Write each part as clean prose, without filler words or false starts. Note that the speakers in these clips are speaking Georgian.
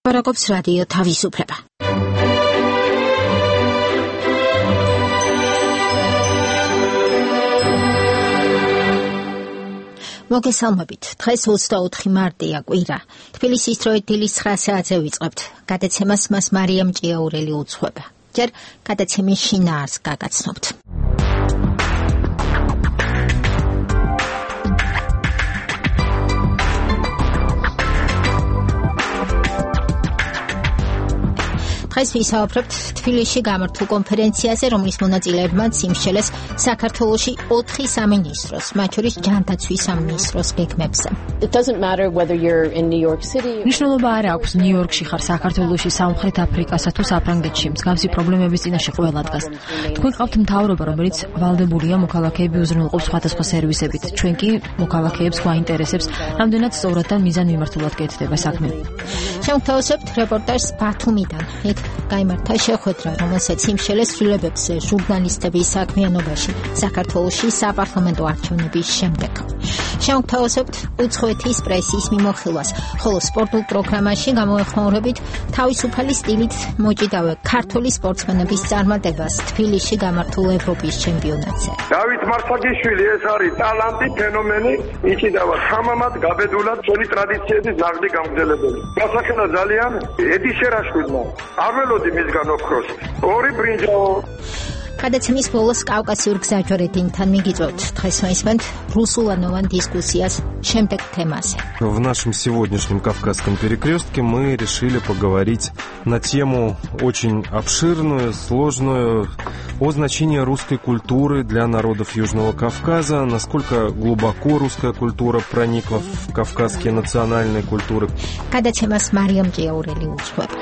Paragobs Radio თავისუფლება. მოგესალმებით. დღეს 24 მარტია კვირა. თბილისის დროით დილის 9 საათზე ვიწყებთ. გადაცემას მას მარიამ ჭიაურელი უძღვება. ჯერ გადაცემის შინაარს გაგაცნობთ. დღეს ვისაუბრებთ თბილისში გამართულ კონფერენციაზე, რომლის მონაწილეებმაც იმსჯელეს საქართველოში 4 სამინისტროს, მათ შორის ჯანდაცვის სამინისტროს გეგმებზე. მნიშვნელობა არ აქვს ნიუ-იორკში ხარ, საქართველოში, სამხრეთ აფრიკასა თუ საფრანგეთში, მსგავსი პრობლემების წინაშე ყველა დგას. თქვენ ყავთ მთავრობა, რომელიც ვალდებულია მოქალაქეები უზრუნველყოფს სხვადასხვა სერვისებით. ჩვენ კი მოქალაქეებს გვაინტერესებს, რამდენად სწორად და მიზანმიმართულად კეთდება საქმე. შევთავაზებთ რეპორტაჟს ბათუმიდან. გაიმართა შეხვედრა, რომელსაც იმსჯელეს ცვლილებებზე ჟურნალისტების საქმიანობაში საქართველოში საპარლამენტო არჩევნების შემდეგ. შევთავაზებთ უცხოეთის პრესის მიმოხილვას, ხოლო სპორტულ პროგრამაში გამოეხმაურებით თავისუფალი სტილით მოჭიდავე ქართული სპორტსმენების წარმატებას თბილისში გამართულ ევროპის ჩემპიონატზე. დავით მარსაგიშვილი ეს არის ტალანტი, ფენომენი, იჭიდავა ხამამად, გაბედულად, ჩვენი ტრადიციების ნაღდი გამგზელებელი. გასახელა ძალიან ედი შერაშვილმა. არ ველოდი მისგან ოქროს. ორი ბრინჯაო. გადაცემის ბოლოს კავკასიურ გზაჯვარედინთან მიგიწევთ. დღეს ვისმენთ რუსულენოვან дискуссиას შემდეგ темасе. В нашем сегодняшнем Кавказском перекрестке мы решили поговорить на тему очень обширную, сложную, о значении русской культуры для народов Южного Кавказа, насколько глубоко русская культура проникла в кавказские национальные культуры. Გადაცემას მარიამ ჭიაურელი უძღვება.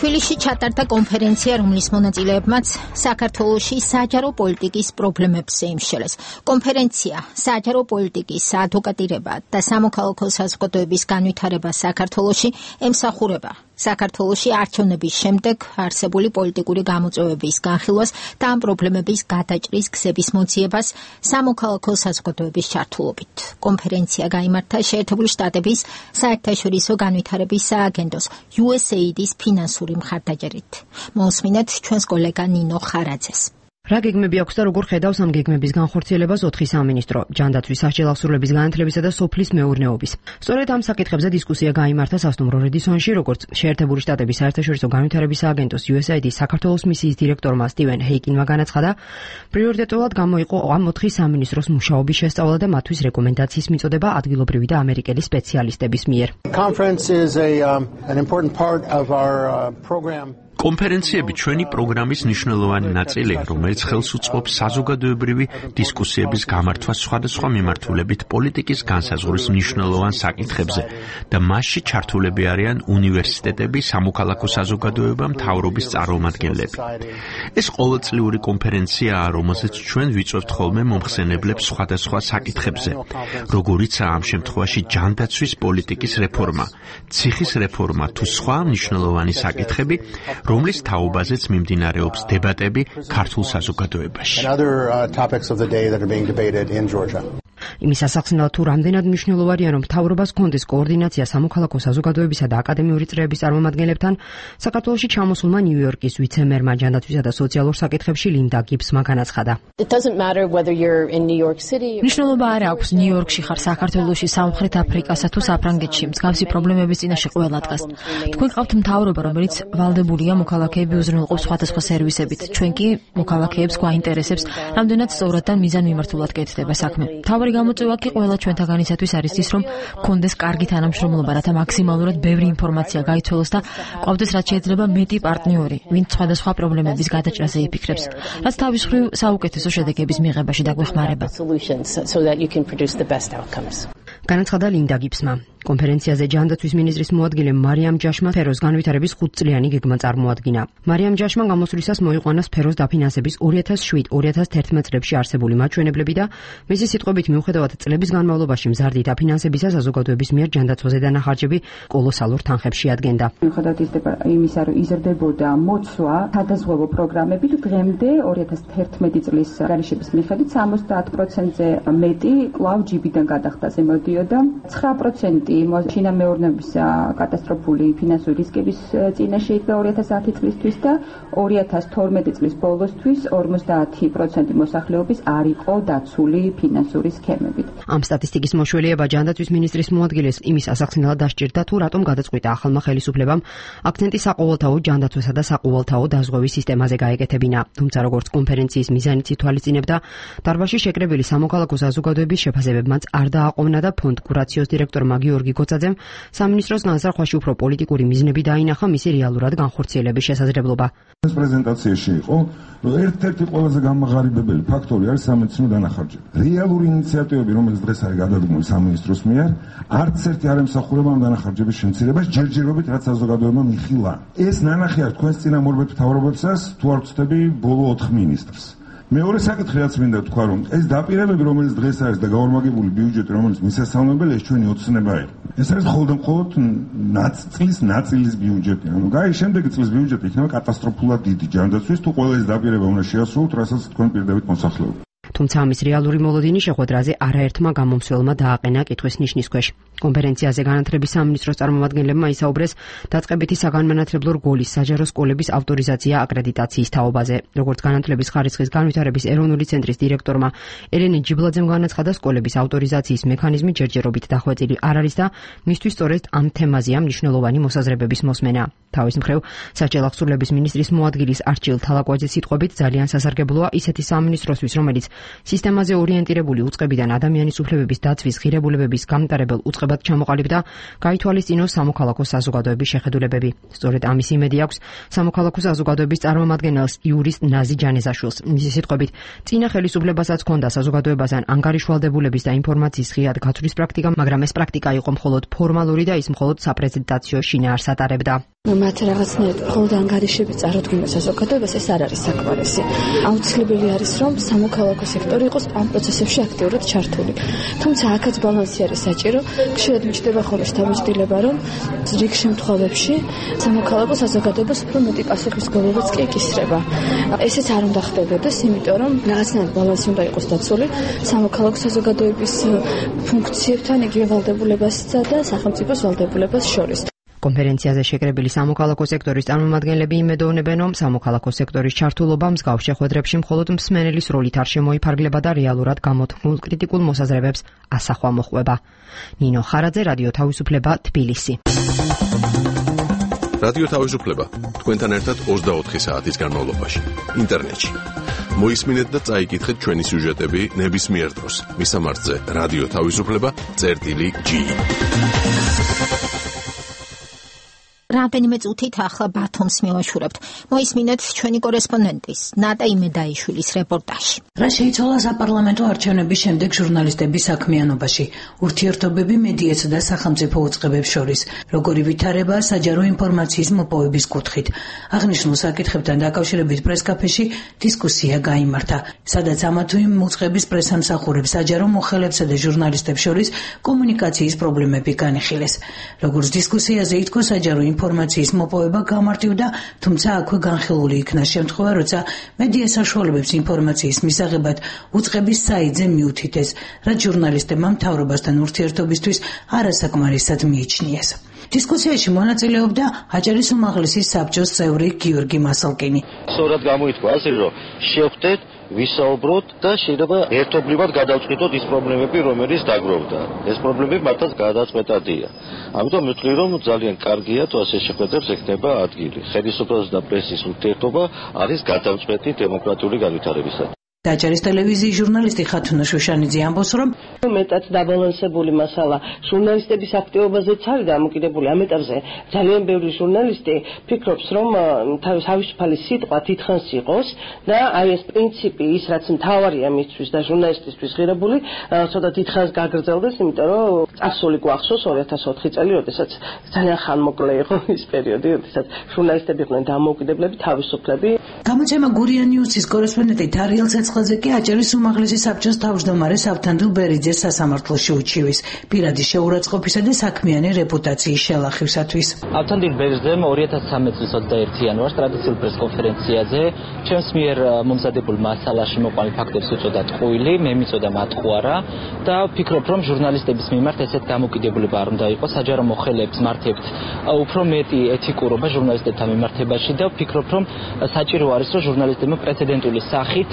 თბილისში ჩატარდა კონფერენცია, რომლის მონაწილეებმაც საქართველოში საჯარო პოლიტიკის პრობლემებზე იმსჯელეს. კონფერენცია საჯარო პოლიტიკის საადვოკატირება და სამოქალაქო საზოგადოების განვითარება საქართველოში ემსახურება საქართველოში არჩევნების შემდეგ არსებული პოლიტიკური გამოწვევების განხილვას და ამ პრობლემების გადაჭრის გზების მოძიებას სამოქალაქო საზოგადოების ჩართულობით. კონფერენცია გაიმართა შეერთებული შტატების საერთაშორისო განვითარების სააგენტოს USAID-ის ფინანსური მხარდაჭერით. მოусმინეთ ჩვენს კოლეგა ნინო ხარაძეს. რა გეგმები აქვს და როგორ ხედავს ამ გეგმების განხორციელებას 4 სამინისტრო, ჯანდაცვის სასჯელ აღსრულების განათლებისა და სოფლის მეურნეობის. სწორედ ამ საკითხებზე დისკუსია გაიმართა სასტუმრო რედისონში, როგორც შეერთებული შტატების საერთაშორისო განვითარების სააგენტოს USAID-ის საქართველოს მისიის დირექტორმა სტივენ ჰეიკინმა განაცხადა, პრიორიტეტულად გამოიყო ამ 4 სამინისტროს მუშაობის შესწავლა და მათთვის რეკომენდაციის მიწოდება ადგილობრივი და ამერიკელი სპეციალისტების მიერ. კონფერენციები ჩვენი პროგრამის მნიშვნელოვანი ნაწილია, რომელიც ხელს უწყობს საზოგადოებრივი დისკუსიების გამართვას სხვადასხვა მიმართულებით პოლიტიკის განსაზღვრის მნიშვნელოვან საკითხებზე და მასში ჩართულები არიან უნივერსიტეტები, სამოქალაქო საზოგადოება, მთავრობის წარმომადგენლები. ეს ყოველწლიური კონფერენციაა, რომელზეც ჩვენ ვიწვევთ ხოლმე მომხსენებლებს სხვადასხვა საკითხებზე, როგორიცაა ამ შემთხვევაში ჯანდაცვის პოლიტიკის რეფორმა, ციხის რეფორმა თუ სხვა მნიშვნელოვანი საკითხები, რომლის თაობაზეც მიმდინარეობს დებატები ქართულ საზოგადოებაში. იმის ასახსნელად თუ რამდენად მნიშვნელოვანია, რომ მთავრობას ჰქონდეს კოორდინაცია სამოქალაქო საზოგადოებისა და აკადემიური წრეების წარმომადგენლებთან, საქართველოში ჩამოსულმა ნიუ-იორკის ვიცე-მერმა ჯანდაცვისა და სოციალურ საკითხებში ლინდა გიბსმა განაცხადა. მნიშვნელობა არ აქვს ნიუ-იორკში ხარ, საქართველოში, სამხრეთ აფრიკასა თუ საფრანგეთში, მსგავსი პრობლემების წინაშე ყველა დგას. თქვენ ყავთ მთავრობა, რომელიც ვალდებულია მოქალაქეები უზრუნველყოფს სხვადასხვა სერვისებით. ჩვენ კი მოქალაქეებს გვაინტერესებს, რამდენად სწორად და მიზანმიმართულად კეთდება საქმე. მთავარი გამოწვევა კი ყველა ჩვენთაგანისათვის არის ის, რომ გქონდეს კარგი თანამშრომლობა, რათა მაქსიმალურად ბევრი ინფორმაცია გაიცვალოს და ყავდეს რაც შეიძლება მეტი პარტნიორი, ვინც სხვადასხვა პრობლემების გადაჭრაზე იფიქრებს, რაც თავის მხრივ საუკეთესო შედეგების მიღებაში დაგვეხმარება. განაცხადა ლინდა გიბსმა. კონფერენციაზე ჯანდაცვის მინისტრის მოადგილე მარიამ ჯაშმა სფეროს განვითარების 5-წლიანი გეგმა წარმოადგინა. მარიამ ჯაშმა გამოსვლისას მოიყვანა სფეროს დაფინანსების 2007-2011 წლებში არსებული მაჩვენებლები და მისი სიტყვებით მიუხედავად წლების განმავლობაში მზარდი დაფინანსებისა საზოგადოების მიერ ჯანდაცვაზე დანახარჯები კოლოსალურ თანხებს შეადგენდა. მიუხედავად იმისა, რომ იზრდებოდა მოცვა სადაზღვევო პროგრამებით, დღემდე 2011 წლის გარიშების მიხედვით 70%-ზე მეტი კვლავ ჯიბიდან გადახდაზე მოდიოდა. 9% შინამეურნეობის კატასტროფული ფინანსური რისკების წინაშე იდგა 2010 წლისთვის და 2012 წლის ბოლოსთვის 50% მოსახლეობის არ იყო დაცული ფინანსური სქემებით. ამ სტატისტიკის მოშველიება ჯანდაცვის მინისტრის მოადგილეს იმის ასახსნელად დასჭირდა, თუ რატომ გადაწყვიტა ახალმა ხელისუფლებამ აქცენტი საყოველთაო ჯანდაცვასა და საყოველთაო დაზღვევის სისტემაზე გაეკეთებინა. თუმცა როგორც კონფერენციის მიზანიც ითვალისწინებდა, დარბაზში შეკრებილი სამოქალაქო საზოგადოების შეფასებებმაც არ დააყოვნა და ფონდ კურაციოს დირექტორმა გიორგი გოცაძემ სამინისტროს განზრახვაში უფრო პოლიტიკური მიზნები დაინახა მისი რეალურად განხორციელების შესაძლებლობა. ეს პრეზენტაციაში იყო, რომ ერთ-ერთი ყველაზე გამაღარიბებელი ფაქტორი არის სამედიცინო დანახარჯები. რეალური ინიციატივები, რომელიც დღეს არის გადადგმული სამინისტროს მიერ, არც ერთი არ ემსახურება ამ დანახარჯების შემცირებას ჯერჯერობით, რაც საზოგადოებამ იხილა. ეს ნანახი არის თქვენს წინამორბედ მთავრობებსაც, თუ არ ვცდები ბოლო 4 მინისტრს. მეორე საკითხი რაც მინდა თქვა, რომ ეს დაპირებები, რომელიც დღეს არის და გაორმაგებული ბიუჯეტი, რომელიც მისასალმებელია, ეს ჩვენი ოცნება იყო. ეს არის მხოლოდ წლის ნაწილის ბიუჯეტი. ანუ შემდეგი წლის ბიუჯეტი იქნება კატასტროფულად დიდი ჯანდაცვის, თუ ყველა ეს დაპირება უნდა შეასრულოთ, რასაც თქვენ პირდებით მოსახლეობა. თუმცა ამის რეალური მოლოდინი შეხვედრაზე არაერთმა გამომცველმა დააყენა კითხვის ნიშნის ქვეშ. კონფერენციაზე განათლების სამინისტროს წარმომადგენლებმა ისაუბრეს დაწყებითი საგანმანათლებლო რგოლის საჯარო სკოლების ავტორიზაცია აკრედიტაციის თაობაზე. როგორც განათლების ხარისხის განვითარების ეროვნული ცენტრის დირექტორმა ელენე ჯიბლაძემ განაცხადა, სკოლების ავტორიზაციის მექანიზმი ჯერჯერობით დახვეწილი არ არის და მისთვის სწორედ ამ თემაზეა მნიშვნელოვანი მოსაზრებების მოსმენა. თავის მხრივ, საჭიელ აღსრულების მინისტრის მოადგილის არჩილ თალაკვაძის სიტყვებით ძალიან სასარგებლოა ისეთი სამინისტროსთვის, რომელიც სისტემაზე ორიენტირებული უწყებიდან ადამიანის უფლებების დაცვის ღირებულებების გამტარებელ უწყებად ჩამოყალიბდა, გაითვალისწინოს სამოქალაქო საზოგადოების შეხედულებები. სწორედ ამის იმედი აქვს სამოქალაქო საზოგადოების წარმომადგენელს იურისტ ნაზი ჯანეზაშვილს. მისი სიტყვებით, წინა ხელისუფლებასაც ჰქონდა საზოგადოებასთან ანგარიშვალდებულების და ინფორმაციის ღიად გაცვლის პრაქტიკა, მაგრამ ეს პრაქტიკა იყო მხოლოდ ფორმალური და ის მხოლოდ საპრეზიდენციო შინაარსს ატარებდა. მათ რაღაცნაირად მხოლოდ ანგარიშები წარუდგინა საზოგადოებას, ეს არ არის საკმარისი. აუცილებელი არის, რომ სამოქალაქო სექტორი იყოს ამ პროცესებში აქტიურად ჩართული. თუმცა აქაც ბალანსი არის საჭირო. ხშირად მიჩნდება ხოლმე შთაბეჭდილება, რომ რიგ შემთხვევებში სამოქალაქო საზოგადოებას უფრო მეტი პასუხისმგებლობაც კი იკისრება. ესეც არ უნდა ხდებოდეს, იმიტომ რომ რაღაცნაირად ბალანსი უნდა იყოს დაცული სამოქალაქო საზოგადოების ფუნქციებთან, იგივე ვალდებულებასა და სახელმწიფოს ვალდებულებას შორის. კონფერენციაზე შეკრებილი სამოქალაქო სექტორის წარმომადგენლები იმედოვნებენ, რომ სამოქალაქო სექტორის ჩართულობა მსგავს შეხვედრებში მხოლოდ მსმენელის როლით არ შემოიფარგლება და რეალურად გამოთქმულ კრიტიკულ მოსაზრებებს ასახვა მოჰყვება. ნინო ხარაძე, რადიო თავისუფლება, თბილისი. რადიო თავისუფლება თქვენთან ერთად 24 საათის განმავლობაში ინტერნეტში. მოისმინეთ და წაიკითხეთ ჩვენი სიუჟეტები ნებისმიერ დროს. მისამართზე რადიო თავისუფლება.ge. რამდენიმე წუთით ახლა ბათუმს მივაშურებთ. მოისმინეთ ჩვენი კორესპონდენტის ნატა იმედაიშვილის რეპორტაჟი. რა შეიცვალა საპარლამენტო არჩევნების შემდეგ ჟურნალისტების საქმიანობაში, ურთიერთობები მედიასა და სახელმწიფო უწყებებს შორის, როგორი ვითარება საჯარო ინფორმაციის მოპოვების კუთხით. აღნიშნულ საკითხებთან დაკავშირებით პრესკაფეში დისკუსია გაიმართა, სადაც ამა თუ იმ უწყების პრესამსახურებს, საჯარო მოხელებსა და ჟურნალისტებს შორის კომუნიკაციის პრობლემები განიხილეს. როგორც დისკუსიაზე ითქვა, საჯარო ინფორმაციის მოპოვება გამარტივდა, თუმცა აქვე განხილული იქნა შემთხვევა, როცა მედია საშუალებებს ინფორმაციის მისაღებად უწყების საიტზე მიუთითეს, რაც ჟურნალისტებმა მთავრობასთან ურთიერთობისთვის არასაკმარისად მიიჩნიეს. დისკუსიაში მონაწილეობდა აჭარის უმაღლესის საბჭოს წევრი გიორგი მასალკინი. სწორად გამოითქვა ასე, რომ შევხვდეთ, ვისაუბროთ და შეიძლება ერთობლივად გადავწყვიტოთ ის პრობლემები, რომელიც დაგროვდა. ეს პრობლემები მართლაც გადაწყვეტადია. ამიტომ მივხვდი, რომ ძალიან კარგია თუ ასე შეხვედრებს ექნება ადგილი. ხელისუფლების და პრესის ურთიერთობა არის გადამწყვეტი დემოკრატიული განვითარებისა. დაჭერის ტელევიზიის ჟურნალისტი ხათუნა შუშანიძე ამბობს, რომ მეტად დაბალანსებული მასალა ჟურნალისტების აქტივობაზეც არის დამოკიდებული. ამ ეტაპზე ძალიან ბევრი ჟურნალისტი ფიქრობს, რომ თავისუფალი სიტყვა თითქოს იყოს და აი ეს პრინციპი ის რაც მთავარია მისთვის და ჟურნალისტისთვის ღირებული, ცოტა დიდხანს გაგრძელდეს, იმიტომ რომ წარსული გვახსოვს 2004 წელი, როდესაც ძალიან ხანმოკლე იყო ის პერიოდი, როდესაც ჟურნალისტები იყვნენ დამოუკიდებლები, თავისუფლები. გამოცემა გურია ნიუსის კორესპონდენტი თარიელ ცეცხლაძე კი აჭარის უმაღლესი საბჭოს თავმჯდომარე ავთანდილ ბერიძეს სასამართლოში უჩივის პირადი შეურაცხყოფისა და საქმიანი რეპუტაციის შელახივსათვის. ავთანდილ ბერიძემ 2013 წლის 21 იანვარს ტრადიციულ პრესკონფერენციაზე ჩემს მიერ მომზადებულ მასალაში მოყვანილ ფაქტებს უწოდა ტყუილი, მე მიწოდა მატყუარა და ვფიქრობ, რომ ჟურნალისტების მიმართ ესეთ დამოკიდებულება არ უნდა იყოს, საჯარო მოხელეებს მართებთ უფრო მეტი ეთიკურობა ჟურნალისტებთან მიმართებაში და ვფიქრობ, რომ საჭირო არის, რომ ჟურნალისტებმა პრეცედენტული სახით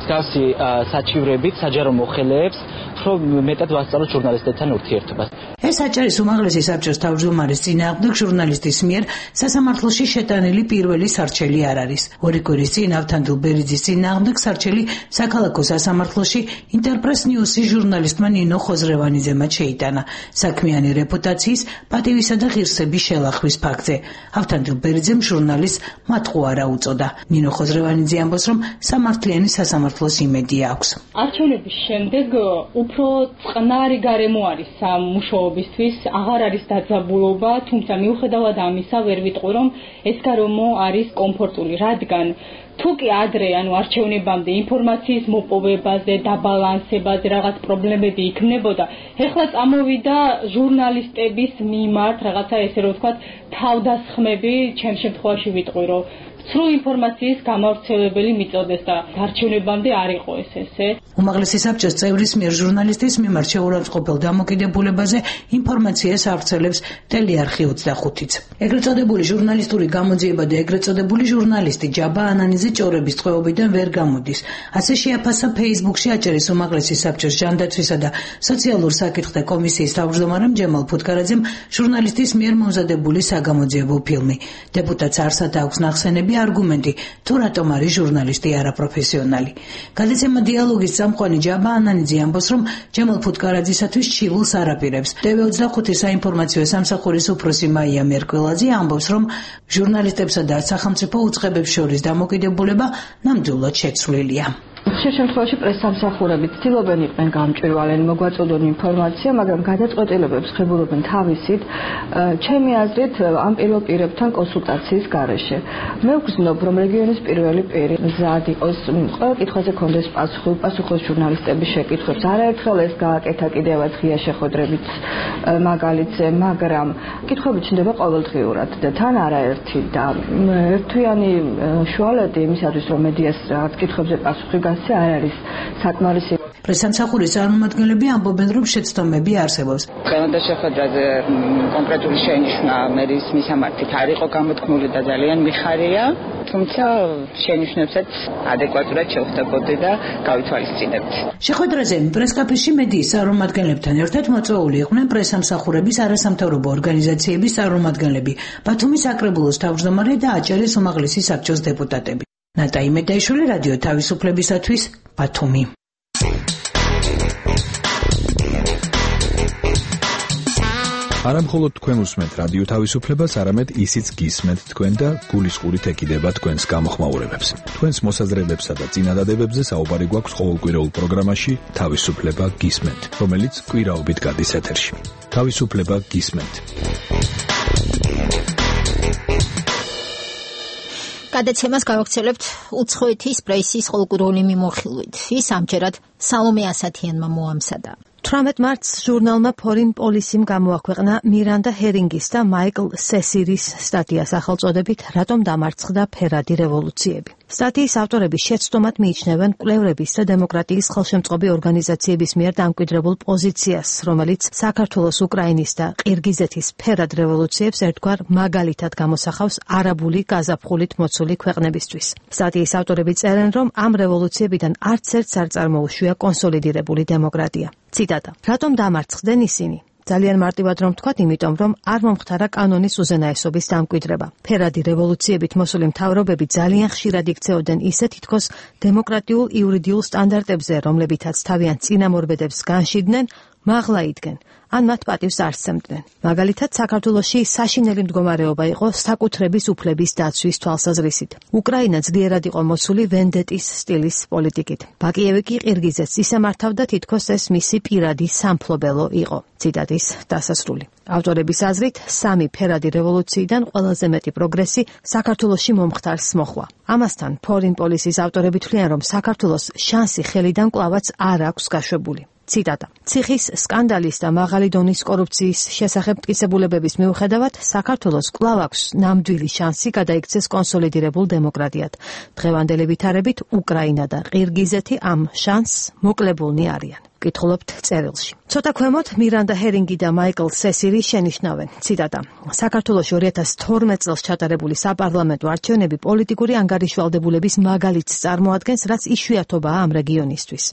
მსგავსი საჩივრებით საჯარო მოხელეებს უფრო მეტად ვასწავლოთ ჟურნალისტებთან ურთიერთობას. ეს აჭარის უმაღლესი საბჭოს თავმჯდომარის წინააღმდეგ ჟურნალისტის მიერ სასამართლოში შეტანილი პირველი სარჩელი არ არის. ორი კვირის წინ ავთანდილ ბერიძის წინააღმდეგ სარჩელი საქალაქო სასამართლოში ინტერპრეს ნიუსის ჟურნალისტმა ნინო ხოზრევანიძემ შეიტანა საქმიანი რეპუტაციის, პატივისა და ღირსების შელახვის ფაქტზე. ავთანდილ ბერიძემ ჟურნალისტს მატყუარა უწოდა. ნინო ხოზრევანიძე ამბობს, რომ სამართლიანი სასამართლოს იმედი აქვს. არჩევნების შემდეგ უფრო წყნარი გარემო არის სამუშაობისთვის, აღარ არის დაძაბულობა, თუმცა მიუხედავად ამისა ვერ ვიტყვი, რომ ეს გარემო არის კომფორტული, რადგან თუ კი ადრე, არჩევნებამდე ინფორმაციის მოპოვებაზე, დაბალანსებაზე რაღაც პრობლემები იქნებოდა, ეხლა წამოვიდა ჟურნალისტების მიმართ რაღაცა ესე რომ ვთქვათ, თავდასხმები, ჩემ შემთხვევაში ვიტყვი, რომ სრულ ინფორმაციის გამავრცელებელი მიწოდეს და არჩევნებამდე არ იყო ესე. უმაღლესი საბჭოს წევრის მიერ ჟურნალისტის მიმართ შეურაცხყოფელ დამოკიდებულებაზე ინფორმაციას ავრცელებს ტელეარხი 25-იც. ეგრეთ წოდებული ჟურნალისტური გამოძიება და ეგრეთ წოდებული ჟურნალისტი ჯაბა ანანიძე ჭორების ტყვეობიდან ვერ გამოდის. ასე შეაფასა Facebook-ში აჭარის უმაღლესი საბჭოს ჟანდაცვისა და სოციალურ საკითხთა კომისიის თავმჯდომარემ ჯემალ ფუტკარაძემ ჟურნალისტის მიერ მომზადებული საგამოძიებო ფილმი. დეპუტატს არსად აქვს ნახსენები არგუმენტი, თუ რატომ არის ჟურნალისტი არაპროფესიონალი. გადაცემა დიალოგის წამყვანი ჯაბა ანანიძე ამბობს, რომ ჯემალ ფუტკარაძისათვის ჩივილს არ აპირებს. TV25 საინფორმაციო სამსახურის უფროსი მაია მერკველაძე ამბობს, რომ ჟურნალისტებსა და სახელმწიფო უწყებებს შორის დამოკიდებულება ნამდვილად შეცვლილია. ხშირ შემთხვევაში პრესსამსახურები ცდილობენ იყვნენ გამჭვირვალენ, მოგვაწოდონ ინფორმაცია, მაგრამ გადაწყვეტილებებს ხებულობენ თავისით. ჩემი აზრით, ამ პირველ პირებთან კონსულტაციის გარეშე. მე ვგრძნობ, რომ რეგიონის პირველი პირი მზად იყოს, ყველა კითხვაზე კონდეს პასუხობს ჟურნალისტების შეკითხვებს. არაერთხელ ეს გააკეთა კიდევაც ღია შეხვედრებით მაგალითზე, მაგრამ კითხვები ჩნდება ყოველდღიურად და თან არაერთი და ერთვიანი შუალედი იმისათვის, რომ მედიას რაღაც კითხვებზე პასუხი არ არის საკმარისი. პრესსამსახურის წარმომადგენლები ამბობენ, რომ შეცდომები არსებობს. დღევანდელ შეხვედრაზე კონკრეტული შენიშვნა მერის მისამართით არ იყო გამოთქმული და ძალიან მიხარია, თუმცა შენიშვნებსაც ადეკვატურად შევხვდებოდი და გავითვალისწინებთ. შეხვედრაზე პრესკაფეში მედიის წარმომადგენლებთან ერთად მოწვეული იყვნენ პრესსამსახურების არასამთავრობო ორგანიზაციების წარმომადგენლები, ბათუმის საკრებულოს თავმჯდომარე და აჭარის უმაღლესი საბჭოს დეპუტატები. ნატა იმედაიშვილი, რადიო თავისუფლებისათვის, ბათუმი. არა მხოლოდ თქვენ უსმენთ რადიო თავისუფლებას, არამედ ისიც გისმენთ თქვენ და გულისყურით ეკიდება თქვენს გამოხმაურებებს. თქვენს მოსაზრებებსა და წინადადებებზე საუბარი გვაქვს ყოველკვირეულ პროგრამაში თავისუფლება გისმენთ, რომელიც კვირაობით გადის ეთერში. თავისუფლება გისმენთ. გადაცემას გავაგრძელებთ უცხოეთის პრესის ყოველკვირეული მიმოხილვით. ის ამჯერად სალომე ასათიანმა მოამზადა. 18 მარტს ჟურნალმა Foreign Policy-მ გამოაქვეყნა მირანდა ჰერინგის და მაიკლ სესირის სტატია სახელწოდებით „რატომ დამარცხდა ფერადი რევოლუციები“. სტატიის ავტორები შეცდომად მიიჩნევენ კვლევრების და დემოკრატიის ხელშემწყობი ორგანიზაციების მიერ დამკვიდრებულ პოზიციას, რომელიც საქართველოს, უკრაინის და ყირგიზეთის ფერად რევოლუციებს ერთგვარ მაგალითად გამოსახავს არაბული გაზაფხულით მოცული ქვეყნებისთვის. სტატიის ავტორები წერენ, რომ ამ რევოლუციებიდან არც ერთს არ წარმოუშვია კონსოლიდირებული დემოკრატია. ციტატა: „რატომ დამარცხდნენ ისინი? ძალიან მარტივად რომ ვთქვათ, იმიტომ რომ არ მომხდარა კანონის უზენაესობის დამკვიდრება. ფერადი რევოლუციებით მოსული მთავრობები ძალიან ხშირად იქცეოდნენ ისე თითქოს დემოკრატიულ იურიდიულ სტანდარტებზე, რომლებითაც თავიანთ წინამორბედებს განშიდდნენ, მაღლა იდგნენ, ან მათ პატივს არ სცემდნენ. მაგალითად, საქართველოში საშინელი მდგომარეობა იყო საკუთრების უფლების დაცვის თვალსაზრისით. უკრაინა ძლიერად იყო მოცული ვენდეტის სტილის პოლიტიკით. ბაკიევი კი ყირგიზეთს ისე მართავდა, თითქოს ეს მისი პირადი სამფლობელო იყო. ციტატის დასასრული. ავტორების აზრით, სამი ფერადი რევოლუციიდან ყველაზე მეტი პროგრესი საქართველოში მომხდარს მოჰყვა. ამასთან, Foreign Policy-ის ავტორები თვლიან, რომ საქართველოს შანსი ხელიდან კვლავაც არ აქვს გაშვებული. ციტატა. ციხის სკანდალის და მაღალი დონის კორუფციის შესახებ მტკიცებულებების მიუხედავად, საქართველოს კვლავ აქვს ნამდვილი შანსი გადაიქცეს კონსოლიდირებულ დემოკრატიად. დღევანდელი ვითარებით უკრაინა და ყირგიზეთი ამ შანსს მოკლებულნი არიან. კითხულობთ წერილში. ცოტა ქვემოთ მირანდა ჰერინგი და მაიკლ სესირი შენიშნავენ. ციტატა. საქართველოში 2012 წელს ჩატარებული საპარლამენტო არჩევნები პოლიტიკური ანგარიშვალდებულების მაგალითს წარმოადგენს, რაც იშვიათობაა ამ რეგიონისთვის.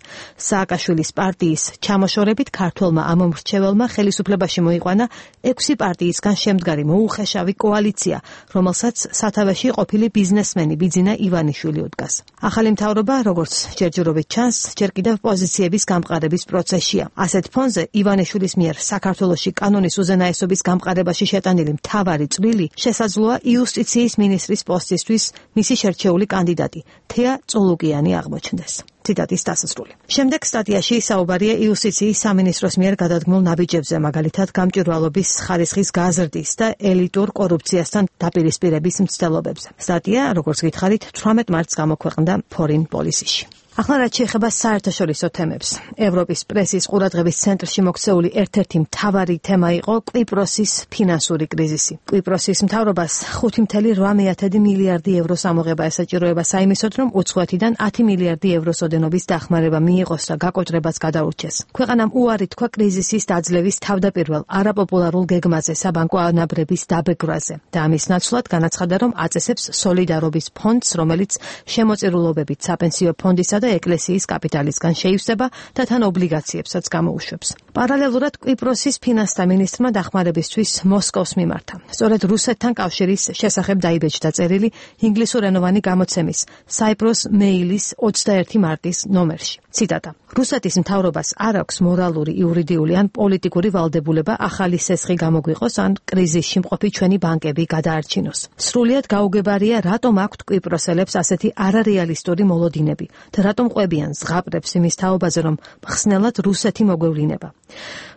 სააკაშვილის პარტიის ჩამოშორებით ქართველმა ამომრჩეველმა ხელისუფლებაში მოიყვანა 6 პარტიისგან შემდგარი მოუხეშავი კოალიცია, რომელსაც სათავეში ყოფილი ბიზნესმენი ბიძინა ივანიშვილი უდგას. ახალი მთავრობა, როგორც ჯერჯერობით ჩანს, ჯერ კიდევ პოზიციების გამყარების პროცესია. ასეთ ფონზე ივანიშვილის მიერ საქართველოში კანონის უზენაესობის გამყარებაში შეტანილი მთავარი წვლილი შესაძლოა იუსტიციის მინისტრის პოსტისთვის მისი შერჩეული კანდიდატი თეა წულუკიანი აღმოჩნდეს. ციტატის დასასრული. შემდეგ სტატიაში საუბარია იუსტიციის სამინისტროს მიერ გადადგმულ ნაბიჯებზე, მაგალითად გამჭვირვალობის ხარისხის გაზრდის და ელიტურ კორუფციასთან დაპირისპირების მცდელობებზე. სტატია, როგორც გითხარით, 18 მარტს გამოქვეყნდა Foreign Policy-ში. ახლა რაც შეეხება საერთაშორისო თემებს. ევროპის პრესის ყურადღების ცენტრში მოქცეული ერთ-ერთი მთავარი თემა იყო კვიპროსის ფინანსური კრიზისი. კვიპროსის მთავრობას 5.8 მილიარდი ევროს ამოღება ესაჭიროება საიმისოდ, რომ უცხოეთიდან 10 მილიარდი ევროს ოდენობის დახმარება მიიღოს და გაკოჭრებას გადაურჩეს. ქვეყანამ უარი თქვა კრიზისის დაძლევის თავდაპირველ არაპოპულარულ გეგმაზე საბანკო ანაბრების დაბეგვაზე და ამის ნაცვლად განაცხადა, რომ აწესებს სოლიდარობის ფონდს, რომელიც შემოწირულობებით საპენსიო ფონდისა და ეკლესიის კაპიტალისგან შეივსება და თან ობლიგაციებსაც გამოუშვებს. პარალელურად კვიპროსის ფინანსთა მინისტრმა დახმარებისთვის მოსკოვს მიმართა. სწორედ რუსეთთან კავშირის შესახებ დაიბეჭდა წერილი ინგლისურენოვანი გამოცემის Cyprus Mail-ის 21 მარტის ნომერში. ციტატა. რუსეთის მთავრობას არ აქვს მორალური, იურიდიული ან პოლიტიკური ვალდებულება ახალი სესხი გამოგვიყოს ან კრიზისში მყოფი ჩვენი ბანკები გადაარჩინოს. სრულიად გაუგებარია, რატომ აქვთ კვიპროსელებს ასეთი არარეალისტური მოლოდინები და რატომ ყვებიან ზღაპრებს იმის თაობაზე, რომ მხსნელად რუსეთი მოგვევლინება.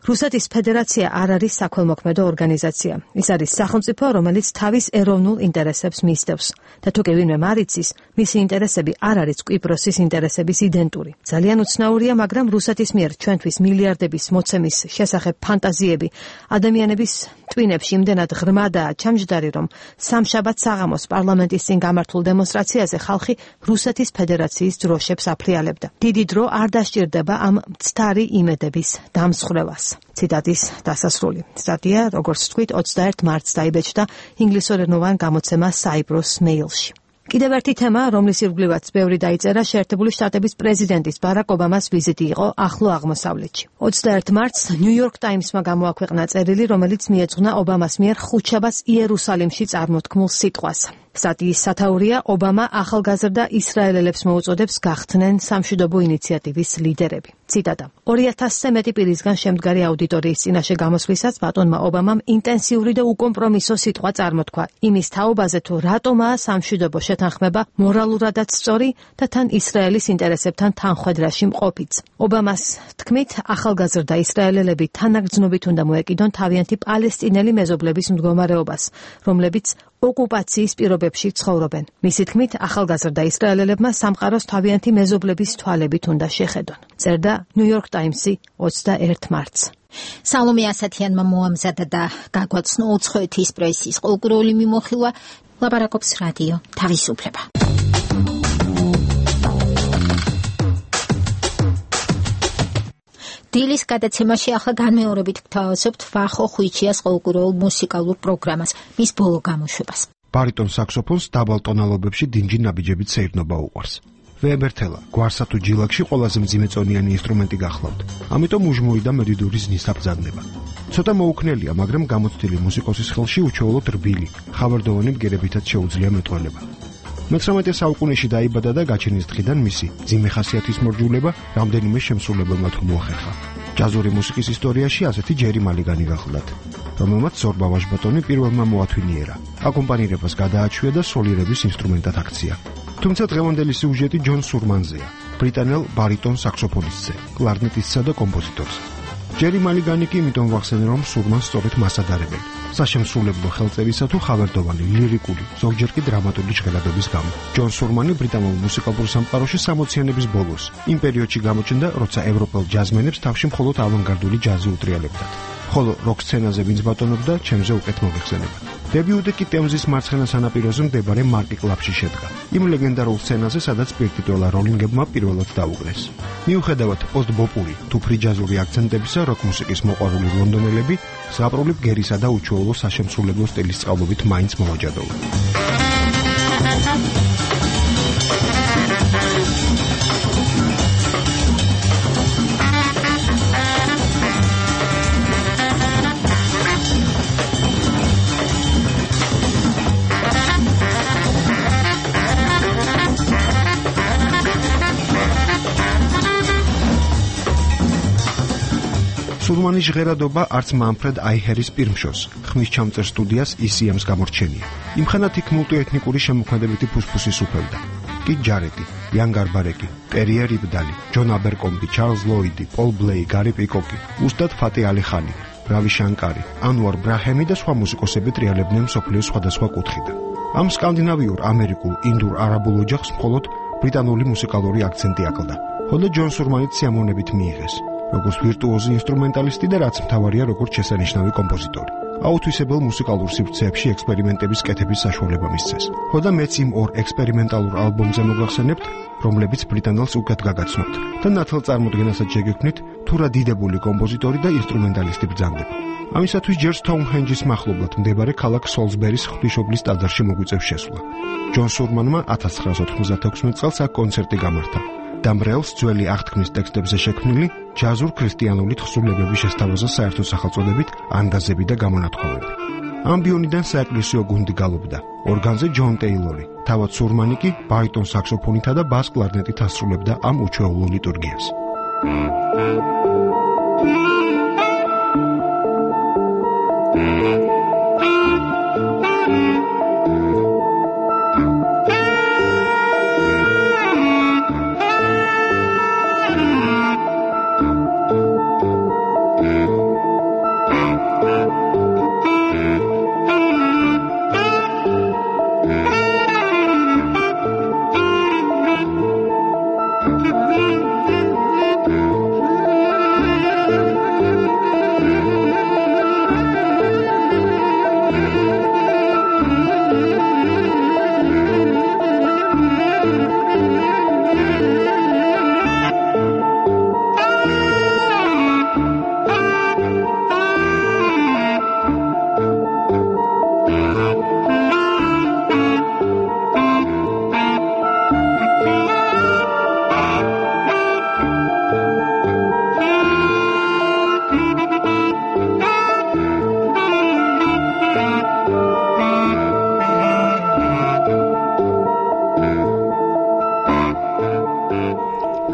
რუსეთის ფედერაცია არ არის საქველმოქმედო ორგანიზაცია. ის არის სახელმწიფო, რომელიც თავის ეროვნულ ინტერესებს მისდევს და თუ კი ვინმე მარიცის, მისი ინტერესები არ არის კვიპროსის ინტერესების იდენტური. ძალიან უცნაურია, მაგრამ რუსეთის მიერ ჩვენთვის მილიარდების მოცემის შესახებ ფანტაზიები ადამიანების ტვინებში იმდენად ღრმადაა ჩამჯდარი, რომ სამშაბათ საღამოს პარლამენტის წინ გამართულ დემონსტრაციაზე ხალხი რუსეთის ფედერაციის დროშებს აფრიალებდა. დიდი დრო არ დასჭირდება ამ მცდარი იმედების დამსხვრევას. ციტატის დასასრული. სტატია, როგორც თქვით, 21 მარტს დაიბეჭდა ინგლისურენოვან გამოცემა Cyprus Mail-ში. კიდევ ერთი თემა, რომლის ირგვლივაც ბევრი დაიწერა, შეერთებული შტატების პრეზიდენტის ბარაკ ობამას ვიზიტი იყო ახლო აღმოსავლეთში. 21 მარტს New York Times-მა გამოაქვეყნა წერილი, რომელიც მიეძღვნა ობამას მიერ ხუთშაბათს იერუსალიმში წარმოთქმულ სიტყვას. სტატიის სათაურია, ობამა ახალგაზრდა ისრაელელებს მოუწოდებს გახდნენ სამშვიდობო ინიციატივის ლიდერები. ციტატა. 2000-ზე მეტი პირისგან შემდგარი აუდიტორიის წინაშე გამოსვლისას ბატონმა ობამამ ინტენსიური და უკომპრომისო სიტყვა წარმოთქვა იმის თაობაზე, თუ რატომაა სამშვიდობო შეთანხმება მორალურადაც სწორი და თან ისრაელის ინტერესებთან თანხვედრაში მყოფიც. ობამას თქმით, ახალგაზრდა ისრაელელები თანაგრძნობით უნდა მოეკიდონ თავიანთი პალესტინელი მეზობლების მდგომარეობას, რომლებიც ოკუპაციის პირობებში ცხოვრობენ. მისი თქმით, ახალგაზრდა ისრაელელებმა სამყაროს თავიანთი მეზობლების თვალებით უნდა შეხედონ. წერდა New York Times-ი 21 მარტს. სალომე ასათიანმა მოამზადა და გაგვაცნო უცხოეთის პრესის კულტურული მიმოხილვა. ლაპარაკობს რადიო თავისუფლება. დილის გადაცემაში ახლა განმეორებით გთავაზობთ ვახო ხვიჩიას კულტურულ მუსიკალურ პროგრამას, მის ბოლო გამოშვებას. ბარიტონ საქსოფონს დაბალ ტონალობებში დინჯი ნაბიჯებით სეირნობა უყვარს. ვეებერთელა გვარსა თუ ჯილაკში ყველაზე მძიმეწონიანი ინსტრუმენტი გახლავთ. ამიტომ უჟმური და მედიდური ზნის საბრძანდება. ცოტა მოუქნელია, მაგრამ გამოცდილი მუსიკოსის ხელში უჩვეულოდ რბილი, ხავერდოვანი ბგერებითაც შეუძლია მეტყველება. მე-19 საუკუნეში დაიბადა და გაჩენის დღიდან მისი მძიმე ხასიათის მორჯულება რამდენიმე შემსრულებელმა თუ მოახერხა. ჯაზური მუსიკის ისტორიაში ასეთი ჯერი მალიგანი გახლდათ, რომელმაც ზორბა ვაჟბატონი პირველმა მოათვინიერა. აკომპანირებას გადააჩვია და სოლირების ინსტრუმენტად აქცია. თუმცა დღევანდელი სიუჟეტი ჯონ სურმანზეა, ბრიტანელ ბარიტონ საქსოფონისტზე, კლარნეტისტსა და კომპოზიტორზე. ჯერი მალიგანი კი იმიტომ ვახსენე, რომ სურმანს სწორედ მას ადარებენ. საშემსრულებლო ხელწერისა თუ ხავერდოვანი, ლირიკული, ზოგჯერ კი დრამატული ჟღერადობის გამო. ჯონ სურმანი ბრიტანულ მუსიკალურ სამყაროში 60-იანების ბოლოს, იმ პერიოდში გამოჩნდა, როცა ევროპელ ჯაზმენებს თავში მხოლოდ ავანგარდული ჯაზი უტრიალებდათ. ხოლო როკ სცენაზე ვინც ბატონობდა, ჩემზე უკეთ მოგეხსენება. დებიუტი კი ტემზის მარცხენა სანაპიროზე მდებარე მარკი კლუბში შედგა. იმ ლეგენდარულ სცენაზე, სადაც პირკიტველა როლინგებმა პირველად დაუკრეს. მიუხედავად პოსტბოპური თუ ფრიჯაზური აქცენტებისა, როკ მუსიკის მოყვარული ლონდონელები ზღაპრული ბგერისა და უჩვეულო საშემსრულებლო სტილის წყალობით მაინც მოაჯადოდნენ. სურმანის ჟღერადობა არც მანფრედ აიჰერის პირმშოს, ხმის ჩამწერ სტუდიას ECM-ს გამორჩენია. იმხანად იქ მულტიეთნიკური შემოქმედებითი ფუსფუსის უფევდა. კით ჯარეტი, იან გარბარეკი, პერიე რიბდალი, ჯონ აბერკომბი, ჩარლზ ლოიდი, პოლ ბლეი, გარი პიკოკი, უსტად ფატი ალი ხანი, რავი შანკარი, ანუარ ბრაჰემი და სხვა მუსიკოსები ტრიალებდნენ მსოფლიოს სხვადასხვა კუთხიდან. ამ სკანდინავიურ, ამერიკულ, ინდურ, არაბულ ოჯახს მხოლოდ ბრიტანული მუსიკალური აქცენტი აკლდა. ხოლო ჯონ სურმანიც სიამოვნებით მიიღეს. როგორც ვირტუოზი ინსტრუმენტალისტი და რაც მთავარია, როგორც შესანიშნავი კომპოზიტორი. აუთვისებელ მუსიკალურ სივრცეებში ექსპერიმენტების კეთების საშუალება მისცეს. ხოდა მეც იმ ორ ექსპერიმენტალურ ალბომზე მოგახსენებთ, რომლებიც ბრიტანელს უკეთ გაგაცნობთ და ნათელ წარმოდგენასაც შეგექმნით, თუ რა დიდებული კომპოზიტორი და ინსტრუმენტალისტი ბრძანდება. ამისათვის ჯერ სტოუნჰენჯის მახლობლად მდებარე ქალაქ სოლსბერის ღვთისმშობლის ტაძარში მოგვიწევს შესვლა. ჯონ სურმანმა 1996 წელს აქ კონცერტი გამართა. დამრეელს ძველი აღთქმის ტექსტებზე შექმნილი ჯაზურ ქრისტიანული თხზულებების შესთავაზა საერთო სახელწოდებით ანგაზები და გამონათქვამები. ამბიონიდან საეკლესიო გუნდი გალობდა, ორგანზე ჯონ ტეილორი, თავად სურმანი კი ბარიტონ საქსოფონითა და ბას კლარნეტით ასრულებდა ამ უჩვეულო ლიტურგიას.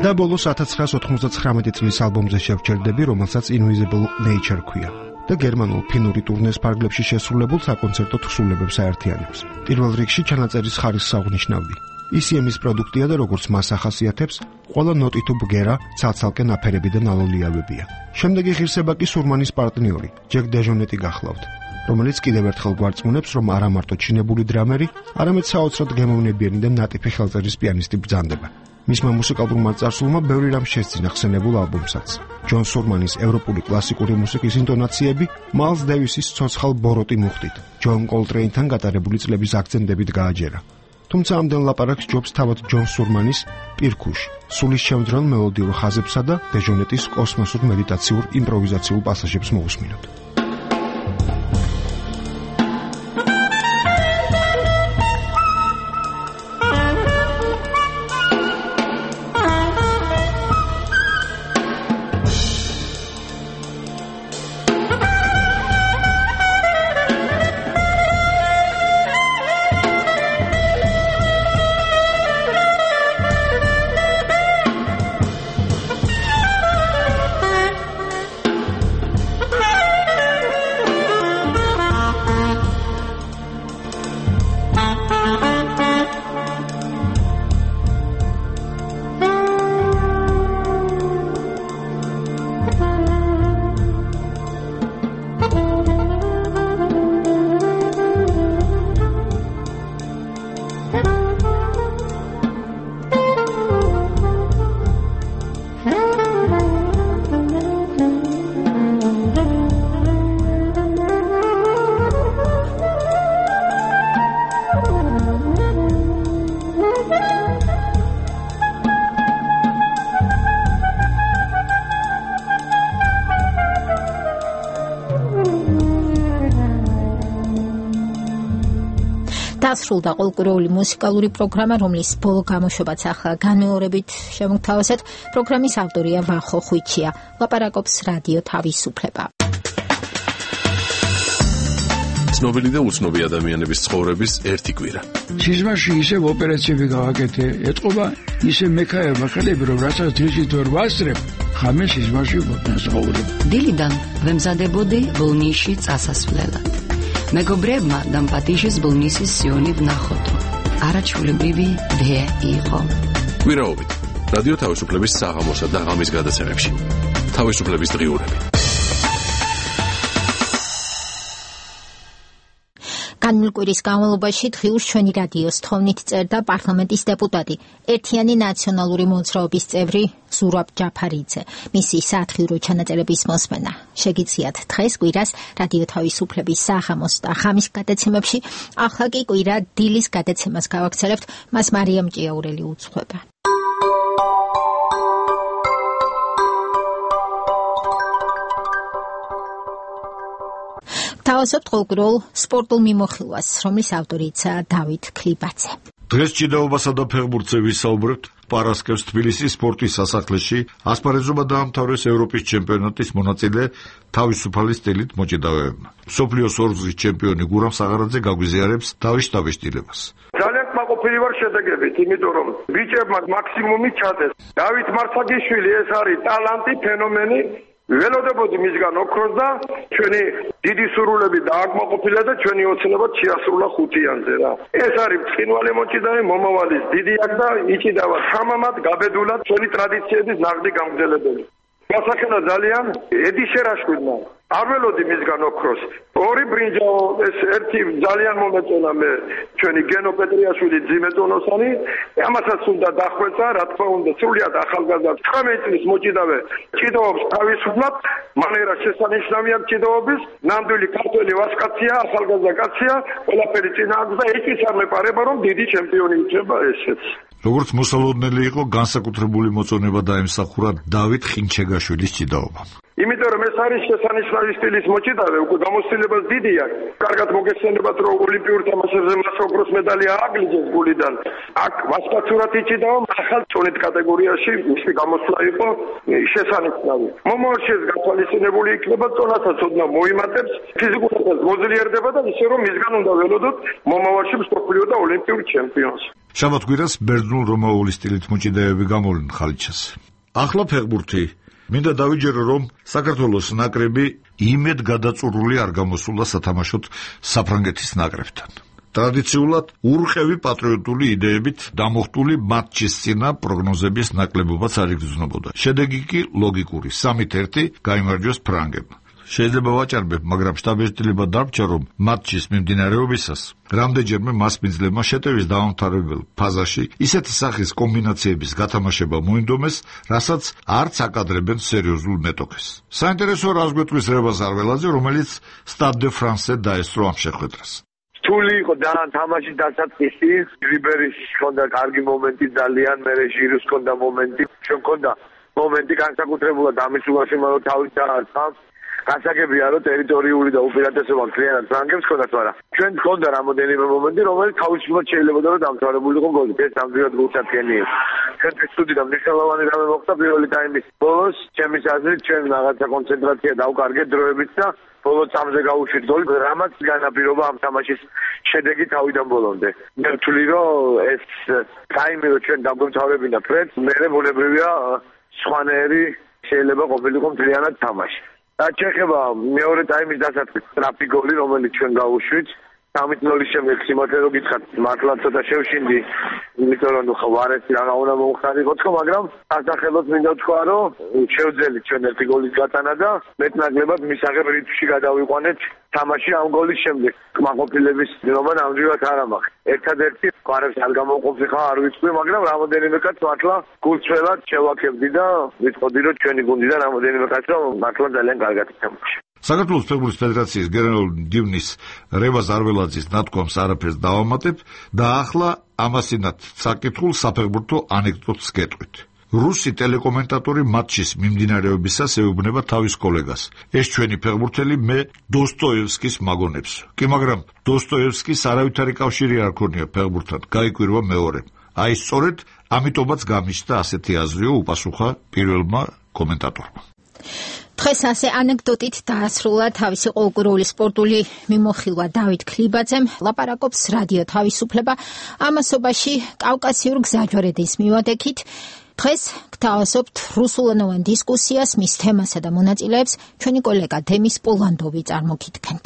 და ბოლოს 1999 წლის ალბომზე შევჩერდები, რომელსაც Invisible Nature ქვია და გერმანულ ფინური ტურნეს ფარგლებში შესრულებულ საკონცერტო თხზულებებს აერთიანებს. პირველ რიგში ჩანაწერის ხარისხს აღნიშნავდი. ECM-ის პროდუქტია და როგორც მას ახასიათებს, ყველა ნოტი თუ ბგერა ცალ-ცალკე ნაფერები და ნალოლიავებია. შემდეგი ღირსება კი სურმანის პარტნიორი, ჯეკ დეჟონეტი გახლავთ, რომელიც კიდევ ერთხელ გვარწმუნებს, რომ არა მარტო ჩინებული დრამერი, არამედ საოცრად გემოვნებიანი და ნატიფი ხელწერის პიანისტი ბრძანდება. მისმა მუსიკალურმა წარსულმა ბევრი რამ შესძინა ხსენებულ ალბომსაც. ჯონ სურმანის ევროპული კლასიკური მუსიკის ინტონაციები მაილს დევისის ცოცხალ ბოროტი მუხტით, ჯონ კოლტრეინთან გატარებული წლების აქცენტებით გააჯერა. თუმცა ამდენ ლაპარაკს ჯობს თავად ჯონ სურმანის პირქუშ, სულისჩემძრელ მელოდიურ ხაზებსა და დეჟონეტის კოსმოსურ მედიტაციურ იმპროვიზაციულ პასაჟებს მოусმინოთ. დასრულდა ყოლკურეული მუსიკალური პროგრამა, რომლის ბოლო გამოშვებაც ახლა განმეორებით შემოგთავაზეთ. პროგრამის ავტორია ვახო ხვიჩია. ლაპარაკობს რადიო თავისუფლება. ცნობილი და უცნობი ადამიანების ცხოვრების ერთი კვირა. სიზმარში ისევ ოპერაციები გავაკეთე, ეთყობა ისე მექაერმა ხელები, რომ რასაც დღისით ვერ ვასწრებ, ხამე სიზმარში ვცხოვრობ. დილიდან ვემზადებოდი ბოლნისში წასასვლელად. მეგობრებმა დამპატიშის ბოლნისის სიონი ვნახოთო. არაჩვეულებრივი დე იყო. კვირაობით რადიო თავისუფლების საღამოსა და ღამის გადაცემებში. თავისუფლების დღიურები. განმილკვირის განმავლობაში დღიურს ჩვენი რადიოს თხოვნით წერდა პარლამენტის დეპუტატი, ერთიანი ნაციონალური მოძრაობის წევრი ზურაბ ჯაფარიძე. მისი სათხიურო ჩანაწერების მოსმენა შეგიძლიათ დღეს კვირას რადიო თავისუფლების საღამოს და ღამის გადაცემებში. ახლა კი კვირა დილის გადაცემას გავაგრძელებთ, მას მარიამ ჭიაურელი უძღვება. თავაზობთ ყოლკურულ სპორტულ მიმოხილვას, რომლის ავტორიცაა დავით ქლიბაძე. დღეს ჭიდაობასა და ფეხბურთზე ვისაუბრებთ. პარასკევს თბილისის სპორტის სასახლეში ასპარეზობა დაამთავრეს ევროპის ჩემპიონატის მონაწილე თავისუფალი სტილით მოჭიდავეებმა. მსოფლიოს ორგზის ჩემპიონი გურამ საღარაძე გაგვიზიარებს დავიშტილებას. ძალიან კმაყოფილი ვარ შედეგებით, იმიტომ რომ ბიჭებმა მაქსიმუმი ჩადეს. დავით მარცაგიშვილი ეს არის ტალანტი, ფენომენი. ველოდებოდი მისგან ოქროს და ჩვენი დიდი სურვილები დააკმაყოფილა და ჩვენი ოცნება შეასრულა ხუთიანზე რა. ეს არის ცხინვალე მოჭიდავე მომავალის დიდი აქ და იჭიდავა თამამად გაბედულად ჩვენი ტრადიციების ნაღდი გამგზელებელი. გასახელა ძალიან ედი შერაშკვიდნა. არ ველოდი მისგან ოქროს. ორი ბრინჯაო, ეს ერთი ძალიან მომეწონა მე ჩვენი გენო პეტრიაშვილი ძიმეწონოსანი. ამასაც უნდა დახვეწა, რა თქმა უნდა, სრულიად ახალგაზრდა 19 წლის მოჭიდავე ჭიდაობს თავისუფლად, მანერა შესანიშნავია ჭიდაობის, ნამდვილი ქართველი ვასკაცია, ახალგაზრდა კაცია, ყველაფერი წინააღმდეგ და ეჭვიც არ მეპარება, რომ დიდი ჩემპიონი იქნება ესეც. როგორც მოსალოდნელი იყო, განსაკუთრებული მოწონება დაემსახურა დავით ხინჩეგაშვილის ჭიდაობამ. იმიტომ რომ ეს არის შესანიშნავი სტილის მოჭიდავე, უკვე გამოცდილებას დიდი აქვს. კარგად მოგესწრებათ, რომ ოლიმპიურ თამაშებზე მას ოქროს medali ააგლიჯეს გულიდან. აქ ვასკაცურად იჭიდაო, ახალ წონით კატეგორიაში მისი გამოსვლა იყო შესანიშნავი. მომავალში ეს გათვალისწინებული იქნება, წონასაც ოდნავ მოიმატებს, ფიზიკურადაც მოძლიერდება და ისე რომ მისგან უნდა ველოდოთ მომავალში მსოფლიო და ოლიმპიურ ჩემპიონს. შაბათ კვირას ბერძნულ-რომაული სტილით მოჭიდავეები გამოვლენ ხალიჩას. ახლა ფეხბურთი. მინდა დავიჯერო, რომ საქართველოს ნაკრები იმედ გადაწურული არ გამოსულა სათამაშოდ საფრანგეთის ნაკრებთან. ტრადიციულად ურყევი პატრიოტული იდეებით დამოხტული მატჩის წინა პროგნოზების ნაკლებობაც არ იგრძნობოდა. შედეგი კი ლოგიკური 3-1 გაიმარჯვეს ფრანგებმა. შეიძლება ვაჭარბებ, მაგრამ შტაბ-ეჭდილება დარჩა, რომ მატჩის მიმდინარეობისას რამდენჯერმე მასპინძლებმა შეტევის დაამთავრებელ ფაზაში ისეთი სახის კომბინაციების გათამაშება მოინდომეს, რასაც არც აკადრებენ სერიოზულ მეტოქეს. საინტერესო რას გვეტყვის რევაზ არველაძე, რომელიც სტად დე ფრანსზე დაესწრო ამ შეხვედრას. რთული იყო ძალიან თამაში დასაწყისი, რიბერის ჰქონდა კარგი მომენტი ძალიან, მერე ჟირუს ჰქონდა მომენტი, ჩვენ ჰქონდა მომენტი განსაკუთრებულად ამის უგაშემო თავის დაარწავს. გასაგებია, რომ ტერიტორიული და უპირატესობა კლიენტად ფრანგებს ჰქონდათ, მაგრამ ჩვენ ჰქონდა რამოდენიმე მომენტი, რომელიც თავისუფლად შეიძლება რომ დამთავრებულიყო გოლით. ეს ნამდვილად გულსაფრენი იყო. ჩვენთვის ცუდი და მნიშვნელოვანი რამე მოხდა პირველი ტაიმის ბოლოს. ჩემის აზრით, ჩვენ რაღაცა კონცენტრაცია დავკარგეთ დროებით და ბოლო წამზე გავუშვით გოლი, რამაც განაპირობა ამ თამაშის შედეგი თავიდან ბოლომდე. მე ვთვლი, რომ ეს ტაიმი რომ ჩვენ დაგვემთავრებინა ფრედ, მერე ბუნებრივია სხვანაირი შეიძლება ყოფილიყო მთლიანად თამაში. და ჩეხება მეორე ტაიმის დასაწყისში სტრაფი გოლი, რომელიც ჩვენ გავუშვით. 3-0 შემდეგ სიმართლე რომ გითხრათ, მართლა ცოტა შევშინდი, იმიტომ რომ ხوارესი რა უნდა მოხდარიყო, მაგრამ ასახელოდ მინდა ვთქვა, რომ შევძელით ჩვენ ერთი გოლის გატანა და მეტნაკლებად მისაღებ რიტმში გადავიყვანეთ თამაში ამ გოლის შემდეგ. კმაყოფილების ძლობა ნამდვილად არ ამახ. ერთადერთი ყარებს არ გამოვყოფილიყო, არ ვიცი, მაგრამ რამოდენიმე კაც მართლა გულწრფელად შევაქებდი და ვიტყოდი, რომ ჩვენი გუნდიდან რამოდენიმე კაც რომ მართლა ძალიან კარგად ითამაშა. საქართველოს ფეხბურთის ფედერაციის გენერალური მდივნის რევაზ არველაძის ნათქვამს არაფერს დავამატებ და ახლა ამასინათ საკითხულ საფეხბურთო ანეკდოტს გეტყვით. რუსი ტელეკომენტატორი მატჩის მიმდინარეობისას ეუბნება თავის კოლეგას. ეს ჩვენი ფეხბურთელი მე დოსტოევსკის მაგონებს. კი, მაგრამ დოსტოევსკის არავითარი კავშირი არ ქონია ფეხბურთთან, გაიკვირვა მეორემ. აი სწორედ ამიტომაც გამიშთა ასეთი აზრიო უპასუხა პირველმა კომენტატორმა. დღეს ასე ანეკდოტით დაასრულა თავისი ყოველკვირეული სპორტული მიმოხილვა დავით ქლიბაძემ. ლაპარაკობს რადიო თავისუფლება ამასობაში კავკასიურ გზაჯვარედის მივადექით. დღეს გთავაზობთ რუსულენოვან დისკუსიას, მის თემასა და მონაწილეებს ჩვენი კოლეგა დემის პოლანდოვი წარმოგიდგენთ.